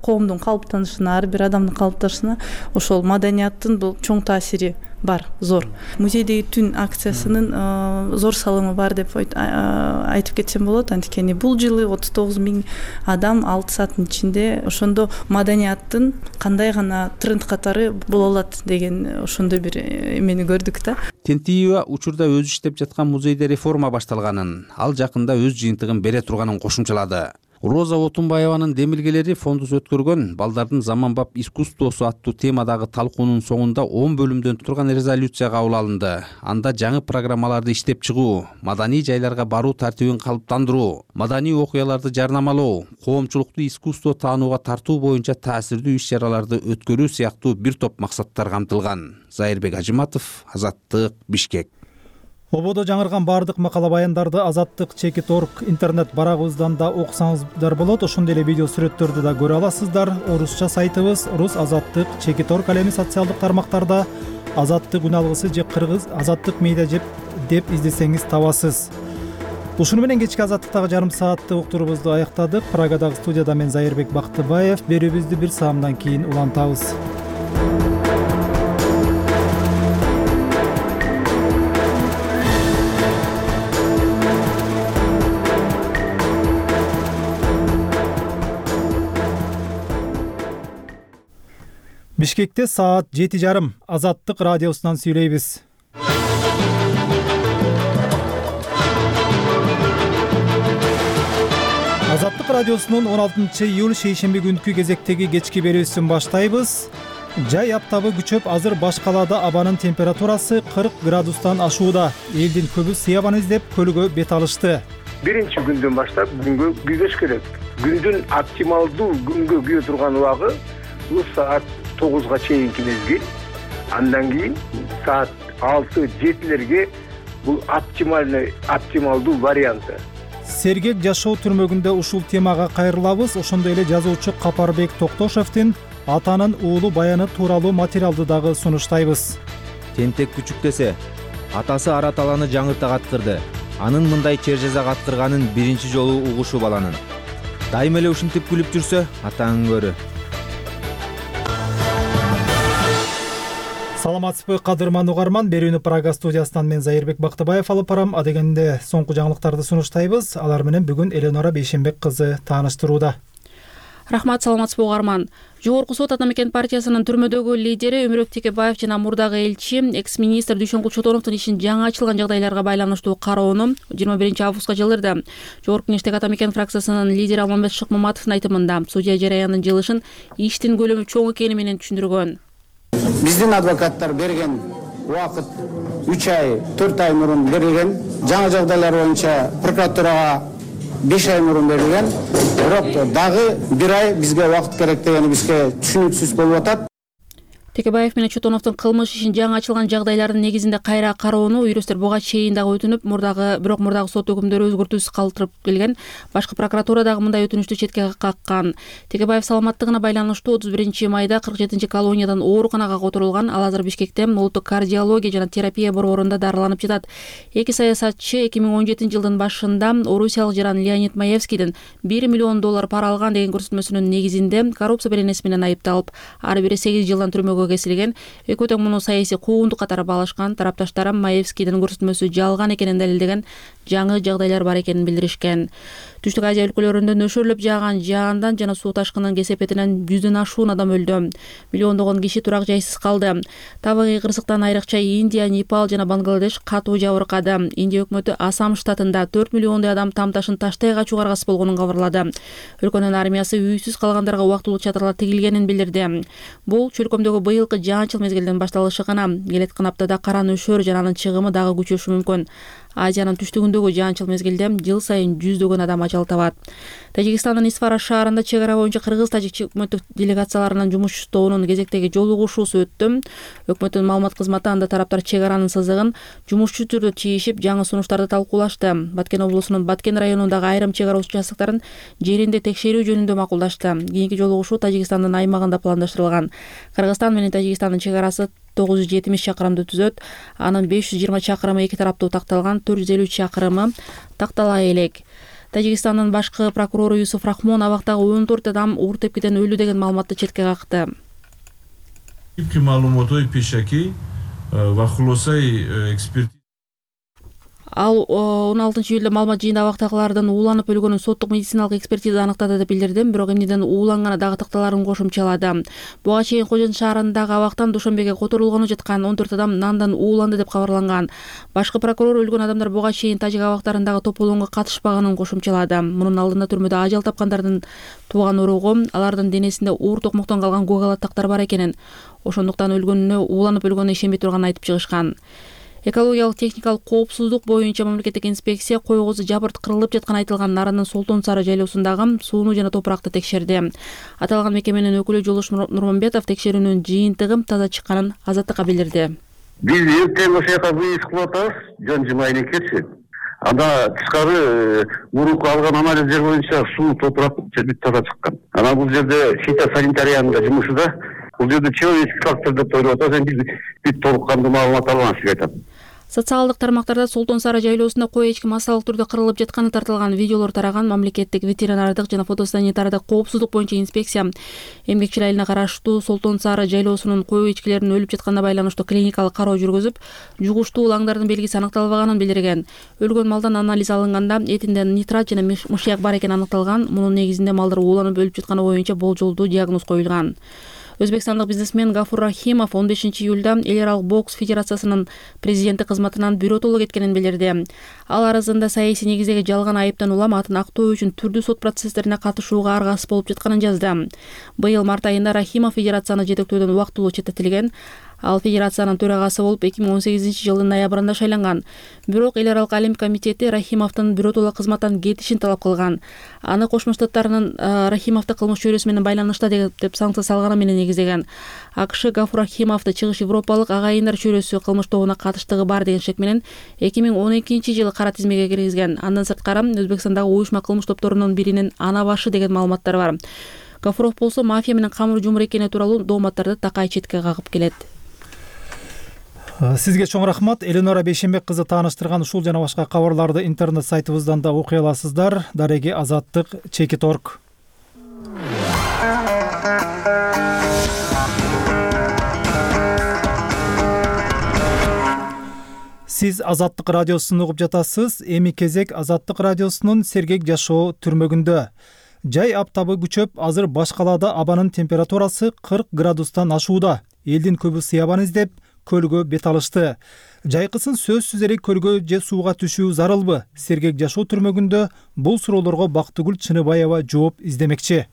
коомдун калыптанышына, ар бир адамдын калыптанышына ошол маданияттын бул чоң таасири бар, зор. Музейдеги түн акциясынын зор салымы бар деп айтып кетсем болот. Анткени бул жылы отуз тогуз миң адам алты сааттын ичинде ошондо маданияттын кандай гана тренд катары боло алат деген ошондой бир эмени көрдүк да. Тентиева учурда өзү иштеп жаткан музейде реформа башталганын, ал жакында өз жыйынтыгын бере турганын кошумчалады. Роза Отунбаеванын демилгелери фондус өткөргөн балдардын заманбап искусствосу аттуу темадагы талкуунун соңунда он бөлүмдөн турган резолюция кабыл алынды. Анда жаңы программаларды иштеп чыгуу, маданий жайларга баруу тартибин калыптандыруу, маданий окуяларды жарнамалоо, коомчулукту искусство таанууга тартуу боюнча таасирдүү иш-чараларды өткөрүү сыяктуу бир топ максаттар камтылган. Зайырбек Ажыматов, Азаттык, Бишкек. Ободо жаңырган баардык макала баяндарды Азаттык чекит точка орг интернет барагыбыздан да окусаңыздар болот. Ошондой эле видео сүрөттөрдү да көрө аласыздар. Орусча сайтыбыз рус азаттык чекит точка орг, ал эми социалдык тармактарда Азаттык үн алгысы же кыргыз Азаттык медиа деп издесеңиз табасыз. Ушуну менен кечки Азаттыктагы жарым сааттык уктуруубузду аяктадык. Прагадагы студияда мен Зайырбек Бактыбаев. Берүүбүздү бир саамдан кийин улантабыз. Бишкекте саат жети жарым. Азаттык радиосунан сүйлөйбүз. Азаттык радиосунун он алтынчы июль шейшемби күнкү кезектеги кечки берүүсүн баштайбыз. Жай аптабы күчөп, азыр баш калаада абанын температурасы кырк градустан ашууда. Элдин көбү сыябан издеп көлгө бет алышты. Биринчи күндөн баштап күнгө күйгөш керек. Күндүн оптималдуу күнгө күйө турган убагы бул саат тогузга чейинки мезгил. Андан кийин саат алты жетилерге бул оптимальный оптималдуу варианты. Сергек жашоо түрмөгүндө ушул темага кайрылабыз. Ошондой эле жазуучу Капарбек Токтошевдин атанын уулу баяны тууралуу материалды дагы сунуштайбыз. Тентек күчүктесе, атасы Араталаны жаңырта каткырды. Анын мындай чер жаза каткырганын биринчи жолу угушу баланын. Дайыма эле ушинтип күлүп жүрсө, атаң көрү. Саламатсызбы кадырман угарман, берүүнү Прага студиясынан мен Зайырбек Бактыбаев алып барам. Адегенде соңку жаңылыктарды сунуштайбыз. Алар менен бүгүн Эленора Бейшенбек кызы тааныштырууда. Рахмат, саламатсызбы угарман. Жогорку сот Ата мекен партиясынын түрмөдөгү лидери Өмүрөк Текебаев жана мурдагы элчи экс-министр Дүйшөнгүл Чотоновдун ишин жаңы ачылган жагдайларга байланыштуу кароону жыйырма биринчи августка жылдырды. Жогорку Кеңештеги Ата мекен фракциясынын лидери Алмамбет Шыкмаматовдун айтымында судья жараянын жылышын иштин көлөмү чоң экени менен түшүндүргөн. Биздин адвокаттар берген убакыт үч ай, төрт ай мурун берилген. Жаңы жагдайлар боюнча прокуратурага беш ай мурун берилген. Бирок дагы бир ай бизге убакыт керек дегени бизге түшүнүксүз болуп атат. Текебаев менен Чотоновдун кылмыш ишин жаңы ачылган жагдайлардын негизинде кайра кароону юристтер буга чейин дагы өтүнүп, мурдагы бирок мурдагы сот өкүмдөрү өзгөртүүсүз калтырып келген. Башкы прокуратура дагы мындай өтүнүштү четке каккан. Текебаев саламаттыгына байланыштуу отуз биринчи майда кырк жетинчи колониядан ооруканага которулган. Ал азыр Бишкекте улуттук кардиология жана терапия борборунда дарыланып жатат. Эки саясатчы эки миң он жетинчи жылдын башында орусиялык жаран Леонид Маевскийдин бир миллион доллар пара алган деген көрсөтмөсүнүн негизинде коррупция беренеси менен айыпталып, ар бири сегиз жылдан түрмөгө кесилген. Экөө тең муну саясий куугунтук катары баалашкан. Тарапташтар Маевскийдин көрсөтмөсү жалган экенин далилдеген, жаңы жагдайлар бар экенин билдиришкен. Түштүк Азия өлкөлөрүндө нөшөрлөп жааган жаандан жана суу ташкынынын кесепетинен жүздөн ашуун адам өлдү. Миллиондогон киши турак жайсыз калды. Табигый кырсыктан айрыкча Индия, Непал жана Бангладеш катуу жабыркады. Индия өкмөтү Асам штатында төрт миллиондой адам там ташын таштай качууга аргасыз болгонун кабарлады. Өлкөнүн армиясы үйсүз калгандарга убактылуу чатырлар тигилгенин билдирди. Бул чөлкөмдөгү быйылкы жаан-чыл мезгилдин башталышы гана. Келеткан аптада кара нөшөр жана анын чыгымы дагы күчөшү мүмкүн. Азиянын түштүгүндөгү жаан-чыл мезгилде жыл сайын жүздөгөн адам ажал табат. Тажикстандын Исфара шаарында чек ара боюнча кыргыз-тажик өкмөттүк делегацияларынын жумуштоонун кезектеги жолугушуусу өттү. Өкмөттүн маалымат кызматы анда тараптар чек аранын сызыгын жумушчу түрдө чийишип, жаңы сунуштарды талкуулашты. Баткен облусунун Баткен районундагы айрым чек ара участоктарын жеринде текшерүү жөнүндө макулдашты. Кийинки жолугушуу Тажикстандын аймагында пландаштырылган. Кыргызстан менен Тажикстандын чек арасы тогуз жүз жетимиш чакырымды түзөт. Анын беш жүз жыйырма чакырымы эки тараптуу такталган, төрт жүз элүү чакырымы тактала элек. Тажикстандын башкы прокурору Юсуф Рахмон абактагы он төрт адам оор тепкиден өлүү деген маалыматты четке какты. Ал он алтынчы июлда маалымат жыйында абактагылардын ууланып өлгөнүн соттук медициналык экспертиза аныктады деп билдирди, бирок эмнеден ууланганы дагы такталарын кошумчалады. Буга чейин Кожон шаарындагы абактан Душанбеге которулгону жаткан он төрт адам нандан ууланды деп кабарланган. Башкы прокурор өлгөн адамдар буга чейин тажик абактарындагы тополоңго катышпаганын кошумчалады. Мунун алдында түрмөдө ажал тапкандардын тууган уругу алардын денесинде уур токмоктон калган гугалаттактар бар экенин, ошондуктан өлгөнүнө ууланып өлгөнүнө ишенбей турганын айтып чыгышкан. Экологиялык техникалык коопсуздук боюнча мамлекеттик инспекция койгозу жабырт кырылып жатканы айтылган Наранын Солтон Сары жайлоосундагы сууну жана топуракты текшерди. Аталган мекеменин өкүлү Жолуш Нурмамбетов текшерүүнүн жыйынтыгы таза чыкканын Азаттыкка билдирди. Биз эртең ошол жака выезд кылып атабыз, жөн жымайын экенчи. Анда тышкары урук алган анализдер боюнча суу, топурак бүт таза чыккан. Анан бул жерде фитосанитариянын да жумушу да, бул жерде человеческий фактор деп ойлоп атабыз, биз бүт толук кандуу маалымат алган сизге айтам. Социалдык тармактарда Солтон Сары жайлоосунда кой эчки массалык түрдө кырылып жатканы тартылган видеолор тараган. Мамлекеттик ветеринардык жана фотосанитардык коопсуздук боюнча инспекция эмгекчил айылына караштуу Солтон Сары жайлоосунун кой эчкилеринин өлүп жатканына байланыштуу клиникалык кароо жүргүзүп, жугуштуу лаңдардын белгиси аныкталбаганын билдирген. Өлгөн малдан анализ алынганда этинде нитрат жана мышьяк бар экени аныкталган. Мунун негизинде малдар ууланып өлүп жатканы боюнча болжолдуу диагноз коюлган. Өзбекстандык бизнесмен Гафур Рахимов он бешинчи июлда эл аралык бокс федерациясынын президенти кызматынан биротоло кеткенин билдирди. Ал арызында саясий негиздеги жалган айыптан улам атын актоо үчүн түрдүү сот процесстерине катышууга аргасыз болуп жатканын жазды. Быйыл март айында Рахимов федерацияны жетектөөдөн убактылуу четтетилген. Ал федерациянын төрагасы болуп эки миң он сегизинчи жылдын ноябрында шайланган. Бирок эл аралык Олимпик комитети Рахимовдун биротоло кызматтан кетишин талап кылган. Аны Кошмо Штаттарынын Рахимовду кылмыш чөйрөсү менен байланышта деп санкция салганы менен негиздеген. АКШ Гафур Рахимовду чыгыш Европалык агайындар чөйрөсү кылмыш тобуна катыштыгы бар деген шек менен эки миң он экинчи жылы кара тизмеге киргизген. Андан сырткары Өзбекстандагы уюшма кылмыш топторунун биринин ана башы деген маалыматтар бар. Гафуров болсо мафия менен камыр жумур экени тууралуу дооматтарды такай четке кагып келет. Сизге чоң рахмат. Эленора Бейшенбек кызы тааныштырган ушул жана башка кабарларды интернет сайтыбыздан да окуй аласыздар. Дареги Азаттык чекит точка орг. Сиз Азаттык радиосун угуп жатасыз. Эми кезек Азаттык радиосунун сергек жашоо түрмөгүндө. Жай аптабы күчөп, азыр баш калаада абанын температурасы кырк градустан ашууда. Элдин көбү сыябан издеп көлгө бет алышты. Жайкысын сөзсүз эле көлгө же сууга түшүү зарылбы? Сергек жашоо түрмөгүндө бул суроолорго Бактыгүл Чыныбаева жооп издемекчи.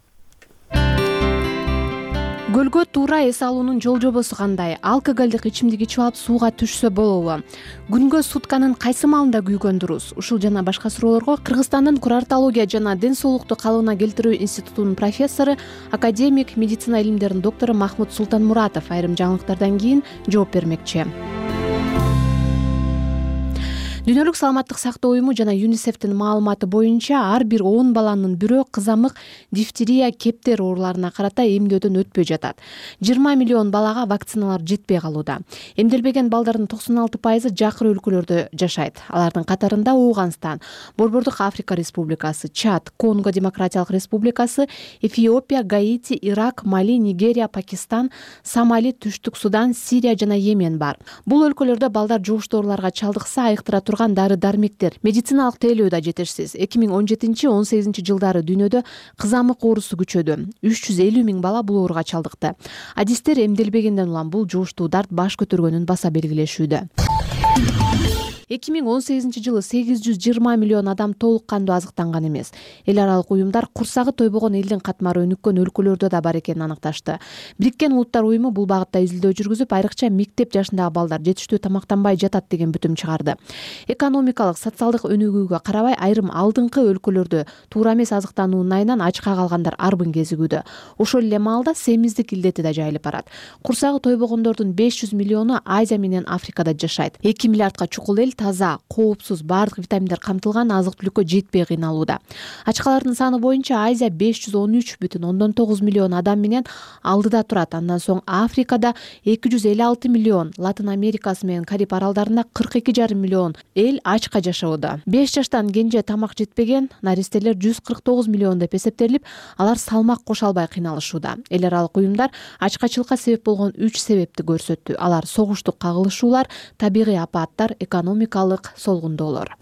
Көлгө туура эс алуунун жол жобосу кандай? Алкоголдук ичимдик ичип алып сууга түшсө болобу? Күнгө сутканын кайсы маалында күйгөн дурус? Ушул жана башка суроолорго Кыргызстандын курортология жана ден соолукту калыбына келтирүү институтунун профессору, академик, медицина илимдеринин доктору Махмут Султанмуратов айрым жаңылыктардан кийин жооп бермекчи. Дүйнөлүк саламаттык сактоо уюму жана ЮНИСЕФтин маалыматы боюнча ар бир он баланын бирөө кызамык, дифтерия, кептер ооруларына карата эмдөөдөн өтпөй жатат. жыйырма миллион балага вакциналар жетпей калууда. Эмделбеген балдардын токсон алты пайызы жакыр өлкөлөрдө жашайт. Алардын катарында Ооганстан, Борбордук Африка Республикасы, Чад, Конго Демократиялык Республикасы, Эфиопия, Гаити, Ирак, Мали, Нигерия, Пакистан, Сомали, Түштүк Судан, Сирия жана Йемен бар. Бул өлкөлөрдө балдар жугуштуу ооруларга чалдыкса айыктыра турган дары-дармектер, медициналык тейлөө да жетишсиз. эки миң он жетинчи он сегизинчи жылдары дүйнөдө кызамык оорусу күчөдү. үч жүз элүү миң бала бул ооруга чалдыкты. Адистер эмделбегенден улам бул жугуштуу дарт баш көтөргөнүн баса белгилешүүдө. эки миң он сегизинчи жылы сегиз жүз жыйырма миллион адам толук кандуу азыктанган эмес. Эл аралык уюмдар курсагы тойбогон элдин катмары өнүккөн өлкөлөрдө да бар экенин аныкташты. Бириккен Улуттар уюму бул багытта изилдөө жүргүзүп, айрыкча мектеп жашындагы балдар жетиштүү тамактанбай жатат деген бүтүм чыгарды. Экономикалык, социалдык өнүгүүгө карабай айрым алдыңкы өлкөлөрдө туура эмес азыктануунун айынан ачка калгандар арбын кезигүүдө. Ошол эле маалда семиздик илдети да жайылып барат. Курсагы тойбогондордун беш жүз миллиону Азия менен Африкада жашайт. эки миллиардка чукул эл таза, коопсуз, баардык витаминдер камтылган азык-түлүккө жетпей кыйналууда. Ачкалардын саны боюнча Азия беш жүз он үч бүтүн ондон тогуз миллион адам менен алдыда турат. Андан соң Африкада эки жүз элүү алты миллион, Латын Америкасы менен Кариб аралдарында кырк эки жарым миллион эл ачка жашоодо. беш жаштан кенже тамак жетпеген наристелер жүз кырк тогуз миллион деп эсептелип, алар салмак кошо албай кыйналышууда. Эл аралык уюмдар ачкачылыкка себеп болгон үч себепти көрсөттү. Алар согуштук кагылышуулар, табигый апаттар, экономик хроникалык солгундоолор.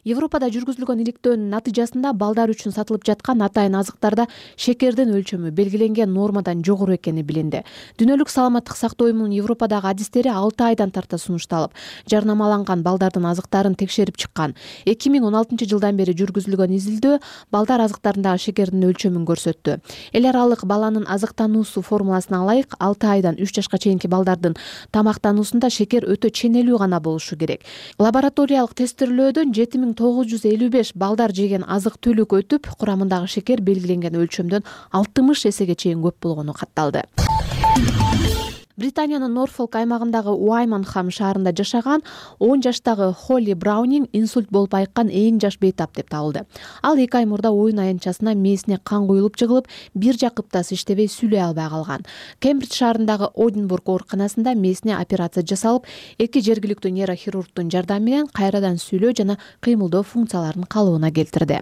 Европада жүргүзүлгөн иликтөөнүн натыйжасында балдар үчүн сатылып жаткан атайын азыктарда шекердин өлчөмү белгиленген нормадан жогору экени билинди. Дүйнөлүк саламаттык сактоо уюмунун Европадагы адистери алты айдан тарта сунушталып, жарнамаланган балдардын азыктарын текшерип чыккан. эки миң он алтынчы жылдан бери жүргүзүлгөн изилдөө балдар азыктарындагы шекердин өлчөмүн көрсөттү. Эл аралык баланын азыктануусу формуласына ылайык алты айдан үч жашка чейинки балдардын тамактануусунда шекер өтө ченелүү гана болушу керек. Лабораториялык тестирлөөдөн жети миң тогуз жүз элүү беш балдар жеген азык түлүк өтүп, курамындагы шекер белгиленген өлчөмдөн алтымыш эсеге чейин көп болгону катталды. Британиянын Норфолк аймагындагы Уайманхам шаарында жашаган он жаштагы Холли Браунинг инсульт болуп айыккан эң жаш бейтап деп табылды. Ал эки ай мурда оюн аянтчасына мээсине кан куюлуп жыгылып, бир жак кыптасы иштебей сүйлөй албай калган. Кембридж шаарындагы Одинбург ооруканасында мээсине операция жасалып, эки жергиликтүү нейрохирургдун жардамы менен кайрадан сүйлөө жана кыймылдоо функцияларын калыбына келтирди.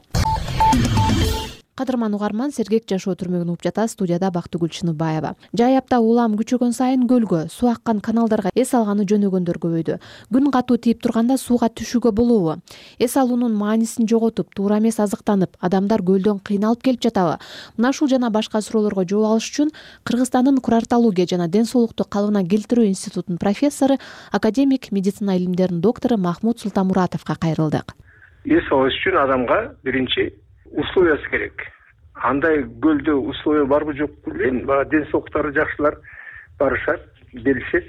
Кадырман угарман, сергек жашоо түрмөгүн угуп жатасыз. Студияда Бактыгүл Чыныбаева. Жайапта улам күчөгөн сайын көлгө, суу аккан каналдарга эс алганы жөнөгөндөр көбөйдү. Күн катуу тийип турганда сууга түшүүгө болобу? Эс алуунун маанисин жоготуп, туура эмес азыктанып, адамдар көлдөн кыйналып келип жатабы? Мына ушул жана башка суроолорго жооп алыш үчүн Кыргызстандын курартология жана ден соолукту калыбына келтирүү институтунун профессору, академик, медицина илимдеринин доктору Махмуд Султамуратовго кайрылдык. Эс алыш үчүн адамга биринчи условиясы керек. Андай көлдө условия барбы жокпу билбейм. Баягы ден соолуктары жакшылар барышат, билишет.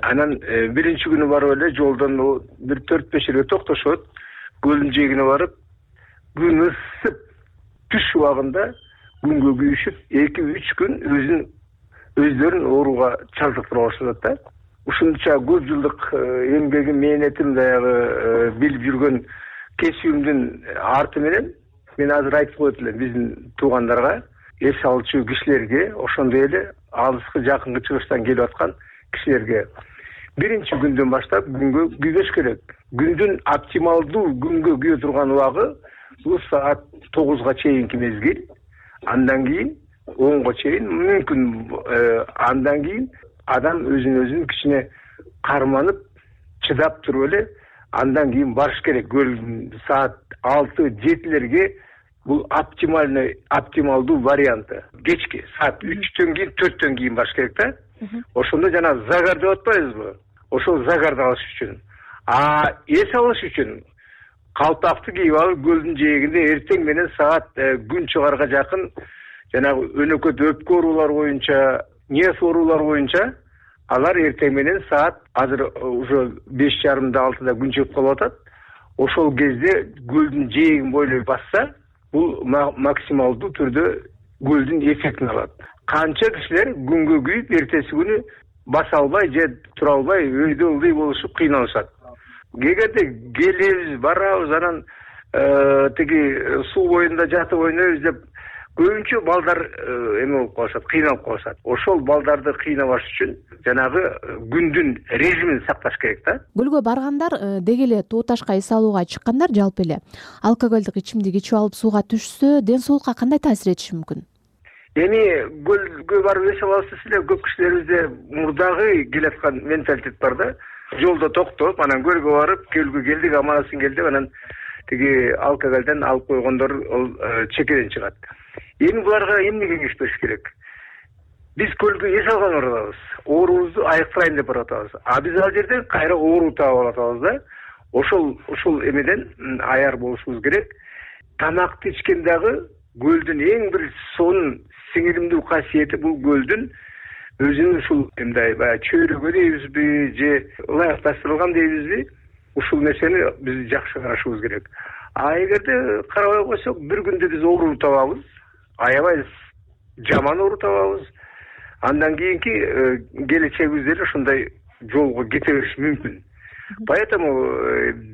Анан биринчи күнү барып эле жолдон бир төрт беш жерге токтошот. Көлдүн жээгине барып, күн ысып, түш убагында күнгө күйүшүп, эки үч күн өзүн өздөрүн ооруга чалдыктырып алышат да. Ушунча көп жылдык эмгегим, мээнетим, баягы билип жүргөн кесүүмдүн арты менен мен азыр айтып коет элем биздин туугандарга, эс алчу кишилерге, ошондой эле алыскы жакынкы чыгыштан келип аткан кишилерге биринчи күндөн баштап күнгө күйбөш керек. Күндүн оптималдуу күнгө күйө турган убагы бул саат тогузга чейинки мезгил. Андан кийин онго чейин мүмкүн, андан кийин адам өзүн өзүн кичине карманып, чыдап туруп эле андан кийин барыш керек. Саат алты жетилерге бул оптимальный, оптималдуу варианты. Кечки саат үчтөн кийин, төрттөн кийин барыш керек да. Ошондо жана загар деп атпайбызбы? Ошол загарды алыш үчүн. А эс алыш үчүн калпакты кийип алып, көлдүн жээгинде эртең менен саат күн чыгарга жакын жанагы өнөкөт өпкө оорулар боюнча, нерв оорулар боюнча алар эртең менен саат азыр уже беш жарымда алтыда күн чыгып калып атат. Ошол кезде көлдүн жээгин бойлой басса, бул максималдуу түрдө көлдүн эффектин алат. Канча кишилер күнгө күйүп, эртеси күнү баса албай же тура албай өйдө ылдый болушуп кыйналышат. Кегерде келебиз, барабыз, анан тиги суу боюнда жатып ойнойбуз деп көбүнчө балдар эме болуп калышат, кыйналып калышат. Ошол балдарды кыйнабаш үчүн жанагы күндүн режимин сакташ керек да. Көлгө баргандар деги эле тоо ташка эс алууга чыккандар жалпы эле алкоголдук ичимдик ичип алып сууга түшсө, ден соолукка кандай таасир этиши мүмкүн? Эми көлгө барып эс алабыз эле, көп кишилерибизде мурдагы келаткан менталитет бар да. Жолдо токтоп, анан көлгө барып, көлгө келдик, аман-асын келдик, анан тиги алкоголдон алып койгондор чекеден чыгат. Эми буларга эмне кеңеш бериш керек? Биз көлгө эс алган барабыз, оорубузду айыктырайын деп барып атабыз. А биз ал жерде кайра оору таап алып атабыз да. Ошол ушул эмеден аяр болушубуз керек. Тамакты ичкен дагы көлдүн эң бир сонун сиңиримдүү касиети бул көлдүн өзүнүн ушул мындай баягы чөйрөгө дейбизби же ылайыкташтырылган дейбизби, ушул нерсени биз жакшы карашыбыз керек. А эгерде карабай койсок, бир күндө биз оору табабыз, аябай жаман оору табабыз. Андан кийинки келечегибиз деле ушундай жолго кете бериши мүмкүн. Поэтому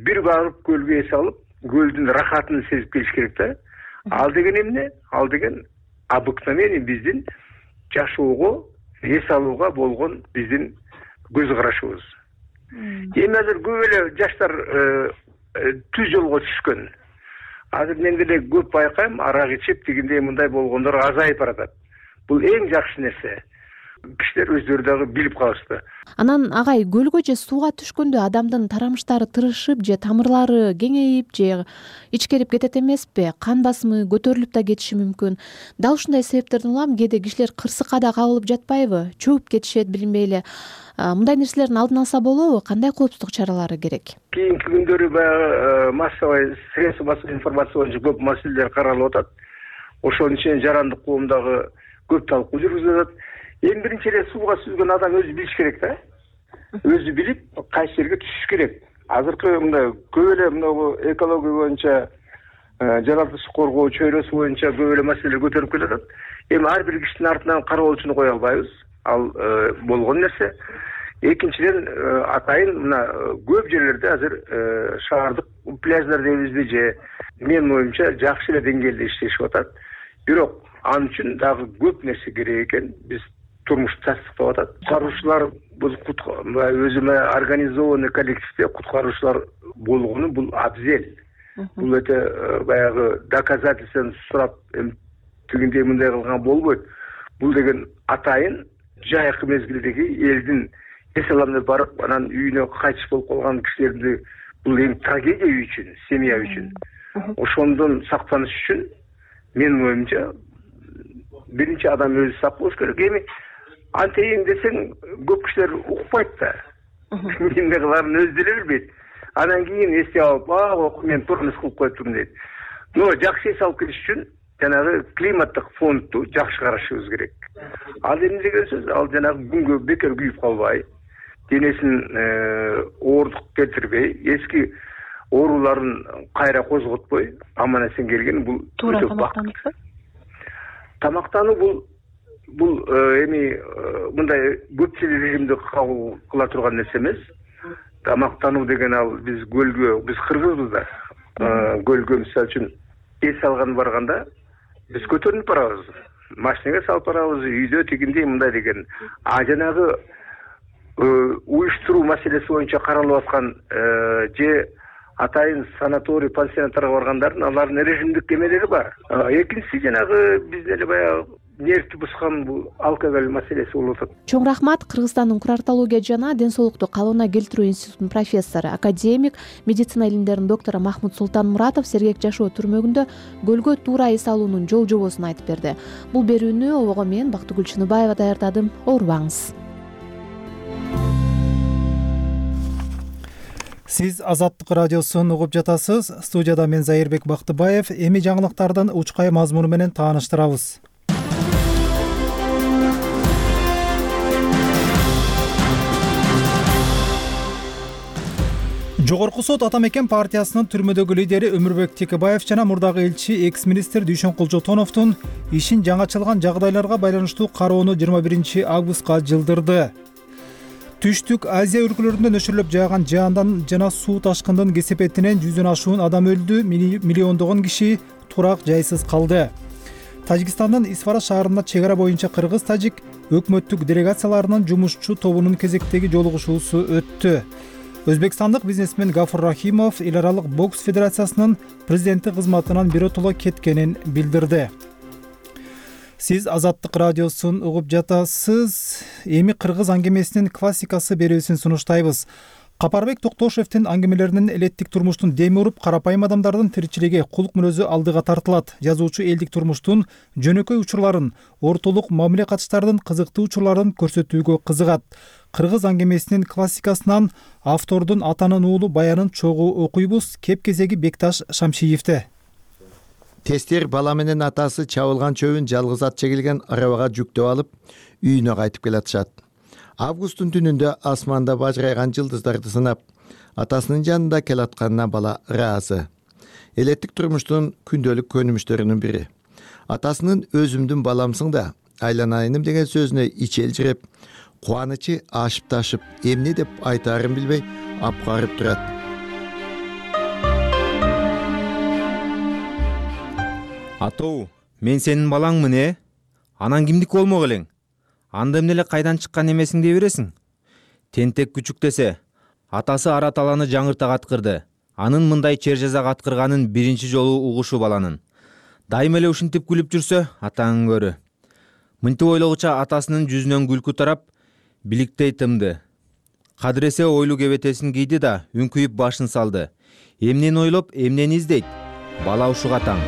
бир барып көлгө эс алып, көлдүн рахатын сезип келиш керек да. Ал деген эмне? Ал деген обыкновение биздин жашоого, эс алууга болгон биздин көз карашыбыз. Эми азыр көп эле жаштар түз жолго түшкөн. Азыр мен деле көп байкайм, арак ичип, тигиндей мындай болгондор азайып баратат. Бул эң жакшы нерсе. кишилер өздөрү дагы билип калышты. Анан агай, көлгө же сууга түшкөндө адамдын тарамыштары тырышып же тамырлары кеңейип же ичкерип кетет эмеспи? Кан басымы көтөрүлүп да кетиши мүмкүн. Дал ушундай себептерден улам кээде кишилер кырсыкка да кабылып жатпайбы? Чөгүп кетишет, билинбей эле. Мындай нерселердин алдын алса болобу? Кандай коопсуздук чаралары керек? Кийинки күндөрү баягы массовый средства массовой информация боюнча көп маселелер каралып атат. Ошонун ичинен жарандык коомдагы көп талкуу жүргүзүлүп атат. Эң биринчи эле сууга сүзгөн адам өзү билиш керек да. Өзү билип, кайсы жерге түшүш керек. Азыркы мындай көп эле мына экология боюнча, жаратылышты коргоо чөйрөсү боюнча көп эле маселелер көтөрүп келатат. Эми ар бир кишинин артынан кароолчуну кое албайбыз. Ал болгон нерсе. Экинчиден, атайын мына көп жерлерде азыр шаардык пляждар дейбизби же менин оюмча жакшы эле деңгээлде иштешип атат. Бирок ал үчүн дагы көп нерсе керек экен. Биз турмушту тастыктап атат. Куткаруучулар бул өзүмө организованный коллективде куткаруучулар болгону бул абзел. Бул өтө баягы доказательствону сурап тигиндей мындай кылган болбойт. Бул деген атайын жайкы мезгилдеги элдин эс аламына барып, анан үйүнө кайтыш болуп калган кишилерди бул эң трагедия үй үчүн, семья үчүн. Ошондон сактаныш үчүн менин оюмча биринчи адам өзү сак болуш керек. Эми антейин десең көп кишилер укпайт да. Эмне кыларын өзү деле билбейт. Анан кийин эстеп алып, а, мен турмуш кылып коюптум дейт. Но жакшы эс алып келиш үчүн жанагы климаттык фондду жакшы карашыбыз керек. Ал эмне деген сөз? Ал жанагы күнгө бекер күйүп калбай, денесин оорундук келтирбей, эски ооруларын кайра козготпой, аман эсен келген бул өтө бакыт. Тамактануу бул бул эми мындай көпчүл режимде кабыл кыла турган нерсе эмес. Тамактануу деген ал биз көлгө, биз кыргызбыз да. Көлгө мисалы үчүн эс алган барганда биз көтөрүнүп барабыз. Машинага салып барабыз, үйдө тигиндей мындай деген. А жанагы уюштуруу маселеси боюнча каралып аткан же атайын санаторий, пансионаттарга баргандардын алардын режимдик эмелери бар. Экинчиси жанагы биздин эле баягы нервти бускан бул алкоголь маселеси болуп атат. Чоң рахмат. Кыргызстандын курартология жана ден соолукту калыбына келтирүү институтунун профессору, академик, медицина илимдеринин доктору Махмут Султанмуратов Сергек жашоо түрмөгүндө көлгө туура эс алуунун жол жобосун айтып берди. Бул берүүнү обого мен Бактыгүл Чыныбаева даярдадым. Оорубаңыз. Сиз Азаттык радиосун угуп жатасыз. Студияда мен Зайырбек Бактыбаев. Эми жаңылыктардын учкай мазмуну менен тааныштырабыз. Жогорку сот Ата Мекен партиясынын түрмөдөгү лидери Өмүрбек Текебаев жана мурдагы элчи экс-министр Дүйшөн Кулжотоновдун ишин жаңачылган жагдайларга байланыштуу кароону жыйырма биринчи августка жылдырды. Түштүк Азия өлкөлөрүндө нөшөрлөп жааган жаандан жана суу ташкындын кесепетинен жүздөн ашуун адам өлдү, миллиондогон киши турак жайсыз калды. Тажикстандын Исфара шаарында чек ара боюнча кыргыз-тажик өкмөттүк делегацияларынын жумушчу тобунун кезектеги жолугушуусу өттү. Өзбекстандык бизнесмен Гафур Рахимов эл аралык бокс федерациясынын президенти кызматынан биротоло кеткенин билдирди. Сиз Азаттык радиосун угуп жатасыз. Эми кыргыз аңгемесинин классикасы берүүсүн сунуштайбыз. Капарбек Токтошевдин аңгемелеринин элеттик турмуштун деми уруп, карапайым адамдардын тиричилиги, кулк мүнөзү алдыга тартылат. Жазуучу элдик турмуштун жөнөкөй учурларын, ортолук мамиле катыштардын кызыктуу учурларын көрсөтүүгө кызыгат. Кыргыз аңгемесинин классикасынан автордун атанын уулу баянын чогуу окуйбуз. Кеп кезеги Бекташ Шамшиевде. Тестер бала менен атасы чабылган чөбүн жалгыз ат чегилген арабага жүктөп алып, үйүнө кайтып келатышат. Августтун түнүндө асманда бажырайган жылдыздарды сынап, атасынын жанында келатканына бала ыраазы. Элеттик турмуштун күндөлүк көнүмүштөрүнүн бири. Атасынын өзүмдүн баламсың да, айланайыным деген сөзүнө ичи элжиреп, кубанычы ашып ташып, эмне деп айтаарын билбей апкарып турат. Атоо, мен сенин балаңмын, э? Анан кимдики болмок элең? Анда эмне эле кайдан чыккан эмесиң дей бересиң? Тентек күчүк десе, атасы Араталаны жаңырта каткырды. Анын мындай чер жаза каткырганын биринчи жолу угушу баланын. Дайыма эле ушинтип күлүп жүрсө, атаң көрү. Мынтип ойлогуча атасынын жүзүнөн күлкү тарап, биликтей тымды. Кадыресе ойлуу кебетесин кийди да үңкүйүп башын салды. Эмнени ойлоп, эмнени издейт? Бала ушуга таң.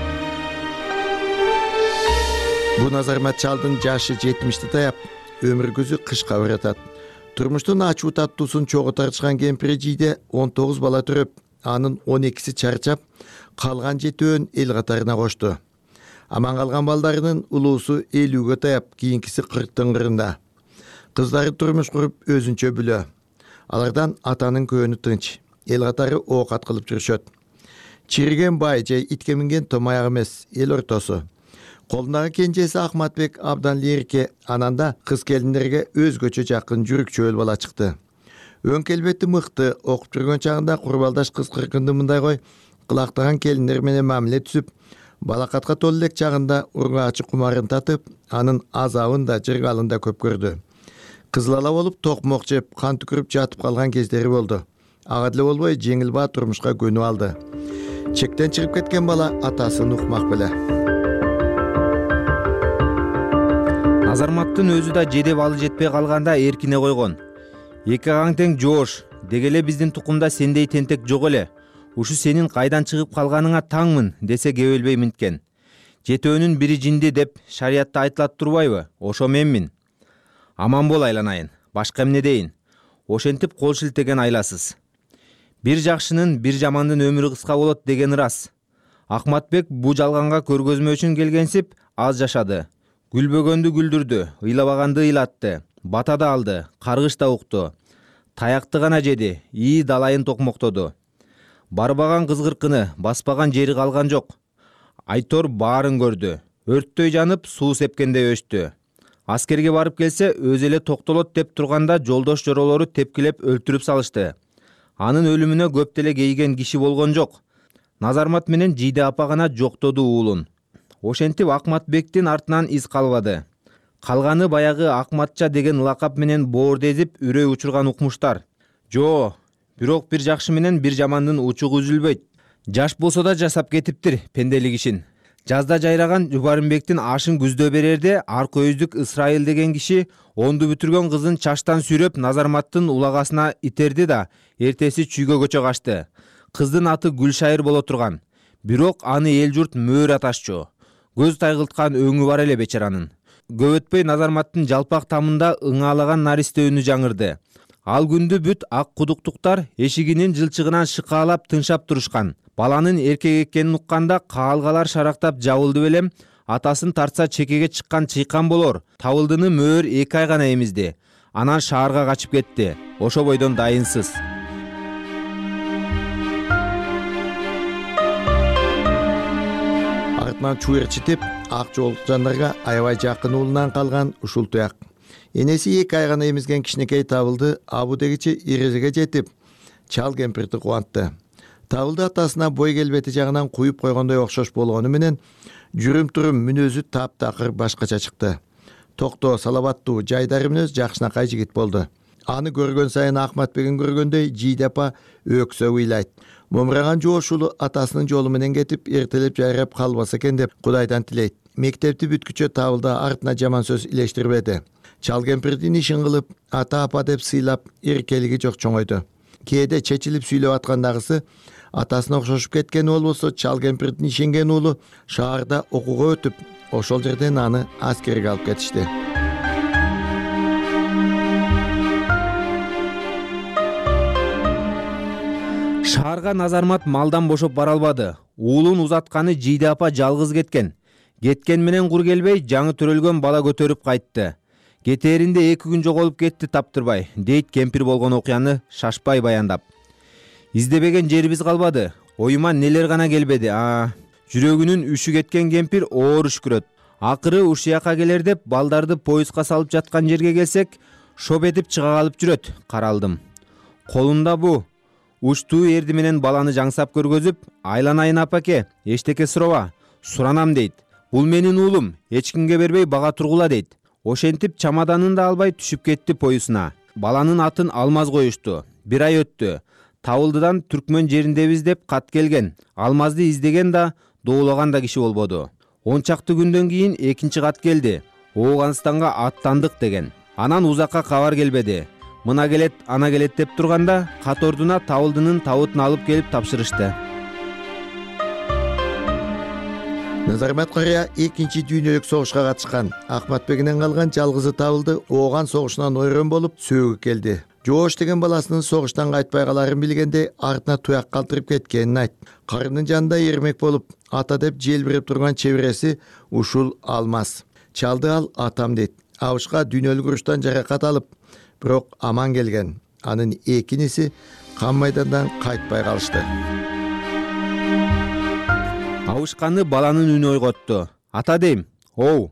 Бу Назармат чалдын жашы жетимишти таяп, өмүр көзү кышка баратат. Турмуштун ачуу таттуусун чогуу тартышкан кемпири жийде он тогуз бала төрөп, анын он экиси чарчап, калган жетөөн эл катарына кошту. Аман калган балдарынын улуусу элүүгө таяп, кийинкиси кырктын кырында. Кыздары турмуш куруп өзүнчө бүлө. Алардан атанын көөнү тынч, эл катары оокат кылып жүрүшөт. Чириген бай же итке минген томаяк эмес, эл ортосу. Колундагы кенжеси Ахматбек абдан лирикке, ананда кыз келиндерге өзгөчө жакын жүрүкчөөл бала чыкты. Өң келбети мыкты, окуп жүргөн чагында курбалдаш кыз кыркынды мындай кой, кылактаган келиндер менен мамиле түзүп, балакатка толуу элек чагында ургаачы кумарын татып, анын азабын да жыргалын да көп көрдү. Кызыл ала болуп токмок жеп, кан түкүрүп жатып калган кездери болду. Ага деле болбой жеңил баа турмушка көнүп алды. Чектен чыгып кеткен бала атасын укмак беле. Назарматтын өзү да жедеп алы жетпей калганда эркине койгон. Эки агаң тең жоош, деге эле биздин тукумда сендей тентек жок эле. Ушу сенин кайдан чыгып калганыңа таңмын десе кебелбей минткен. Жетөөнүн бири жинди деп шариятта айтылат турбайбы? Ошо менмин. Аман бол айланайын, башка эмне дейин? Ошентип кол шилтеген айласыз. Бир жакшынын, бир жамандын өмүрү кыска болот деген ырас. Ахматбек бу жалганга көргөзмө үчүн келгенсип аз жашады. Гүлбөгөндү гүлдүрдү, ыйлабаганды ыйлатты, бата да алды, каргыш да укту. Таякты гана жеди, ии далайын токмоктоду. Барбаган кызгыркыны, баспаган жери калган жок. Айтор баарын көрдү. Өрттөй жанып, суу сепкендей өчтү. Аскерге барып келсе, өзү эле токтолот деп турганда жолдош жоролору тепкилеп өлтүрүп салышты. Анын өлүмүнө көп деле кейген киши болгон жок. Назармат менен Жийде апа гана жоктоду уулун. Ошентип Ахматбектин артынан из калбады. Калганы баягы Акматча деген лакап менен боорду эзип үрөй учурган укмуштар. Жо, бирок бир жакшы менен бир жамандын учугу үзүлбөйт. Жаш болсо да жасап кетиптир пенделик ишин. Жазда жайраган Жубарымбектин ашын күздө берерде Аркөйүздүк Ысрайыл деген киши онду бүтүргөн кызын чаштан сүйрөп Назарматтын улагасына итерди да эртеси чүйгө көчө качты. Кыздын аты Гүлшайыр боло турган. Бирок аны эл журт мөөр аташчу. Көз тайгылткан өңү бар эле бечаранын. Көп өтпөй Назарматтын жалпак тамында ыңаалаган наристе үнү жаңырды. Ал күндү бүт ак кудуктуктар эшигинин жылчыгынан шыкаалап тыншап турушкан. Баланын эркек экенин укканда каалгалар шарактап жабылды белем, атасын тартса чекеге чыккан чыйкан болор. Табылдыны мөөр эки ай гана эмизди. Анан шаарга качып кетти. Ошо бойдон дайынсыз. Артынан чуерчитип, ак жолукчандарга аябай жакын уулунан калган ушул туяк. Энеси эки ай гана эмизген кичинекей табылды абу дегичи эрежеге жетип, чал кемпирди кубантты. Табылды атасына бой келбети жагынан куюп койгондой окшош болгону менен жүрүм-турум мүнөзү таптакыр башкача чыкты. Токтоо, салабаттуу, жайдары мүнөз жакшынакай жигит болду. Аны көргөн сайын Ахматбегин көргөндөй Жийде апа өксө ыйлайт. Момураган жоош уулу атасынын жолу менен кетип, эртелеп жайрап калбаса экен деп Кудайдан тилейт. Мектепти бүткүчө Табылды артына жаман сөз илештирбеди. Чал кемпирдин ишин кылып, ата апа деп сыйлап, эркелиги жок чоңойду. Кээде чечилип сүйлөп аткандагысы атасына окшошуп кеткен болбосо, чал кемпирдин ишенген уулу шаарда окууга өтүп, ошол жерден аны аскерге алып кетишти. Шаарга Назармат малдан бошоп бара албады. Уулун узатканы Жийде апа жалгыз кеткен. Кеткен менен кур келбей, жаңы төрөлгөн бала көтөрүп кайтты. Кетээринде эки күн жоголуп кетти таптырбай, дейт кемпир болгон окуяны шашпай баяндап. Издебеген жерибиз калбады. Оюма нелер гана келбеди. А, жүрөгүнүн үшү кеткен кемпир оор үшкүрөт. Акыры ушуяка келер деп балдарды поездга салып жаткан жерге келсек, шоп этип чыга калып жүрөт. Каралдым. Колунда бу учтуу эрди менен баланы жаңсап көргөзүп, айланайын апаке, эчтеке сураба, суранам дейт. Бул менин уулум, эч кимге бербей бага тургула дейт. Ошентип чамаданын да албай түшүп кетти поюсуна. Баланын атын Алмаз коюшту. Бир ай өттү. Табылдыдан Түркмөн жериндебиз деп кат келген. Алмазды издеген да, доолаган да киши болбоду. Он чакты күндөн кийин экинчи кат келди. Ооганстанга аттандык деген. Анан узакка кабар келбеди. Мына келет, ана келет деп турганда катордуна табылдынын табытын алып келип тапшырышты. Назармат Кария экинчи дүйнөлүк согушка катышкан. Акматбегинен калган жалгызы табылды. Ооган согушунан ойрон болуп сөөгү келди. Жоош деген баласынын согуштан кайтпай каларын билгенде артына туяк калтырып кеткенин айтты. Карынын жанында эрмек болуп, ата деп желбирип турган чебереси ушул Алмаз. Чалды ал атам дейт. Абышка дүйнөлүк уруштан жаракат алып, бирок аман келген. Анын эки иниси кан майдандан кайтпай калышты. Абышканы баланын үнү ойготту. Ата дейм, оу,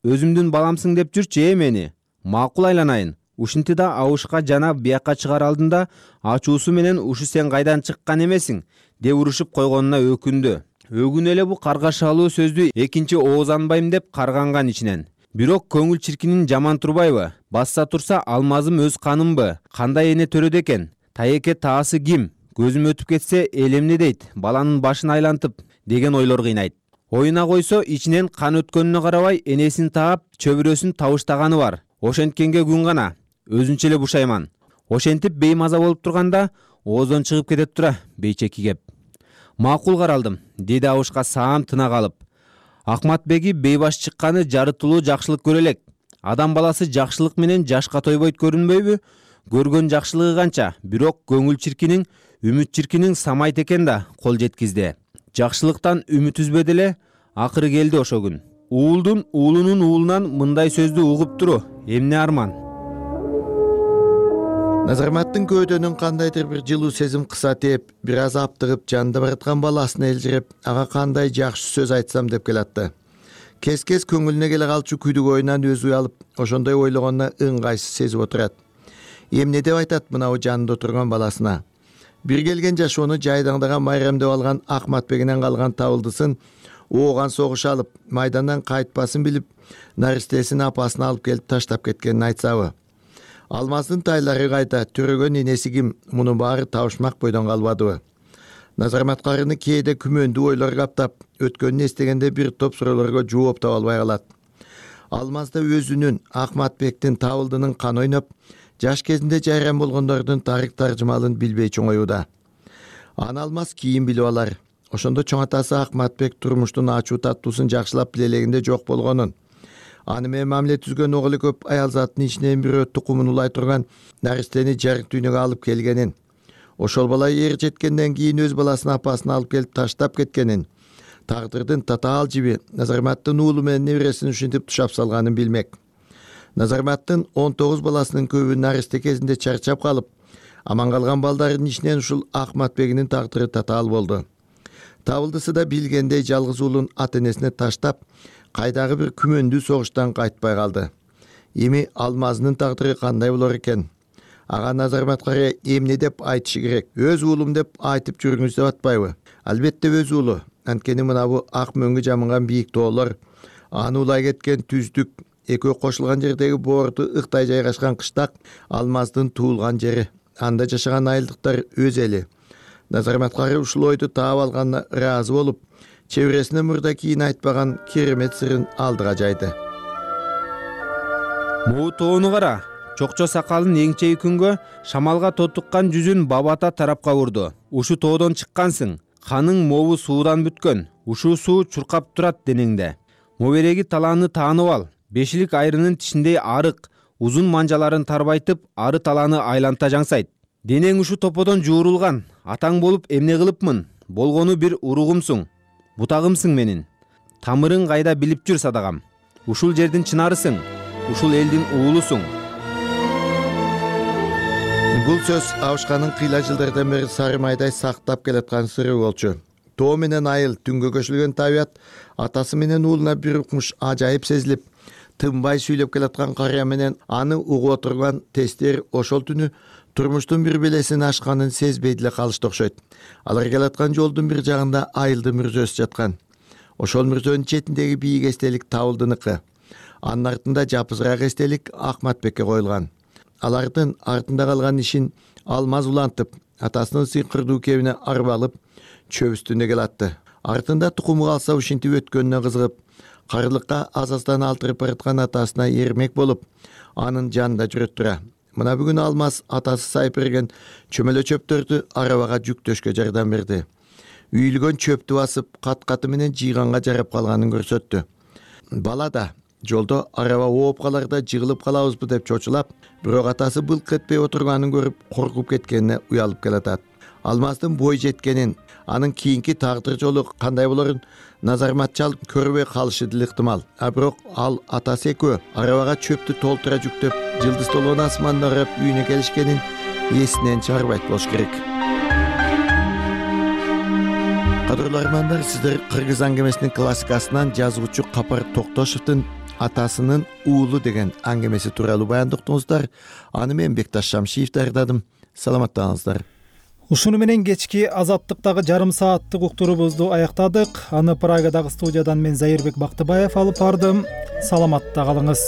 өзүмдүн баламсың деп жүрчү э мени. Макул айланайын. Ушинти да Абышка жана биякка чыгар алдында ачуусу менен ушу сен кайдан чыккан эмесиң деп урушуп койгонуна өкүндү. Өгүн эле бу каргашалуу сөздү экинчи оозанбайм деп карганган ичинен. Бирок көңүл чиркинин жаман турбайбы? Басса турса Алмазым өз канымбы? Кандай эне төрөдө экен? Таеке таасы ким? Көзүм өтүп кетсе элемни дейт, баланын башын айлантып деген ойлор кыйнайт. Оюна койсо ичинен кан өткөнүнө карабай энесин таап, чөбүрөсүн табыштаганы бар. Ошенткенге күн гана, өзүнчө эле бушайман. Ошентип беймаза болуп турганда оозон чыгып кетет тура бейчеки кеп. Макул каралдым, деди Абышка саам тына калып. Акматбеги бейбаш чыкканы жарытылуу жакшылык көрө элек. Адам баласы жакшылык менен жашка тойбойт көрүнбөйбү? Көргөн жакшылыгы канча, бирок көңүл чиркинин, үмүт чиркинин самайт экен да кол жеткизди. Жакшылыктан үмүт үзбөдү эле, акыры келди ошо күн. Уулдун уулунун уулунан мындай сөздү угуп туру, эмне арман. Назарматтын көөдөнүн кандайдыр бир жылуу сезим кыса тээп, бир аз аптыгып жанында бараткан баласын элжиреп, ага кандай жакшы сөз айтсам деп келатты. Кес-кес көңүлүнө келе калчу күдүк оюнан өзү алып, ошондой ойлогонуна ыңгайсыз сезип отурат. Эмне деп айтат мынау жанында отурган баласына? Бир келген жашоону жайдаңдаган майрамдеп алган Акматбегинен калган табылдысын ооган согуш алып, майдандан кайтпасын билип, наристесин апасын алып келип таштап кеткенин айтсабы? Алмаздын тайлары кайда, төрөгөн энеси ким? Мунун баары табышмак бойдон калбадыбы? Назармат Карыны кээде күмөндүү ойлор каптап, өткөнүн эстегенде бир топ суроолорго жооп таба албай калат. Алмазда өзүнүн, Акматбектин табылдынын кан ойноп, жаш кезинде жайран болгондордун тарых таржымалын билбей чоңоюуда. Аны Алмаз кийин билип алар. Ошондо чоң атасы Акматбек турмуштун ачуу таттуусун жакшылап билелегинде жок болгонун, аны менен мамиле түзгөн оголу көп аялзаттын ичинен бирөө тукумун улай турган наристени жарык дүйнөгө алып келгенин, ошол бала эр жеткенден кийин өз баласын апасын алып келип таштап кеткенин, тагдырдын татаал жиби Назарматтын уулу менен небересин ушинтип тушап салганын билмек. Назарматтын он тогуз баласынын көбү наристе кезинде чарчап калып, аман калган балдардын ичинен ушул Акматбегинин тагдыры татаал болду. Табылдысы да билгендей жалгыз уулун ата энесине таштап, кайдагы бир күмөндүү согуштан кайтпай калды. Эми Алмазынын тагдыры кандай болор экен? Ага Назармат Кария эмне деп айтышы керек? Өз уулум деп айтып жүрүңүз деп атпайбы? Албетте өз уулу. Анткени мына бу ак мөңгү жамынган бийик тоолор, аны улай кеткен түздүк, экөө кошулган жердеги боорду ыктай жайгашкан кыштак Алмаздын туулган жери. Анда жашаган айылдыктар өз эли. Назармат Кария ушул ойду таап алганына ыраазы болуп, чебересине мурда кийин айтпаган керемет сырын алдыга жайды. Могу тоону кара, чокчо сакалын эңчеи күнгө шамалга тотуккан жүзүн бабата тарапка бурду. Ушу тоодон чыккансың, каның мобу суудан бүткөн, ушул суу чуркап турат денеңде. Мобереги талааны таанып ал, бешилик айрынын тишиндей арык, узун манжаларын тарбайтып, ары талааны айланта жаңсайт. Денең ушу топодон жуурулган, атаң болуп эмне кылыпмын? Болгону бир уругумсуң, бутагымсың менин. Тамырың кайда билип жүр садагам. Ушул жердин чынарысың, ушул элдин уулусуң. Бул сөз Абышканын кыйла жылдардан бери сары майдай сактап келаткан сыры болчу. Тоо менен айыл, түнгө көчүлгөн табият атасы менен уулуна бир укмуш ажайып сезилип, тынбай сүйлөп келаткан Кария менен аны угуп отурган тестер ошол түнү турмуштун бир белесин ашканын сезбей деле калышты окшойт. Алар келаткан жолдун бир жагында айылдын мүрзөсү жаткан. Ошол мүрзөнүн четиндеги бийик эстелик табылдыныкы. Анын артында жапызыраак эстелик Акматбекке коюлган. Алардын артында калган ишин Алмаз улантып, атасынын сыйкырдуу кебине арбалып, чөп үстүндө келатты. Артында тукуму калса ушинтип өткөнүнө кызыгып, карылыкка азаздан алтырып бараткан атасына эрмек болуп анын жанында жүрөт тура. Мына бүгүн Алмаз атасы сайып берген чөмөлө чөптөрдү арабага жүктөшкө жардам берди. Үйүлгөн чөптү басып кат-каты менен жыйганга жарап калганын көрсөттү. Бала да жолдо араба ооп каларда жыгылып калабызбы деп чочулап, бирок атасы былк этпей отурганын көрүп коркуп кеткенине уялып келатат. Алмаздын бой жеткенин, анын кийинки тагдыр жолу кандай болорун назармат чалып көрбөй калышы деле ыктымал. А бирок ал атасы экөө арабага чөптү толтура жүктөп, жылдыз толгон асманды карап үйүнө келишкенин эсинен чыгарбайт болуш керек. Кадырлуу армандар, сиздер Кыргыз аңгемесинин классикасынан жазуучу Капар Токтошовдун атасынын уулу деген аңгемеси тууралуу баяндоктуңуздар. Аны мен Бекташ Шамшиев даярдадым. Саламаттаңыздар. Ушуну менен кечки Азаттыктагы жарым сааттык уктурубузду аяктадык. Аны Прагадагы студиядан мен Зайырбек Бактыбаев алып бардым. Саламатта калыңыз.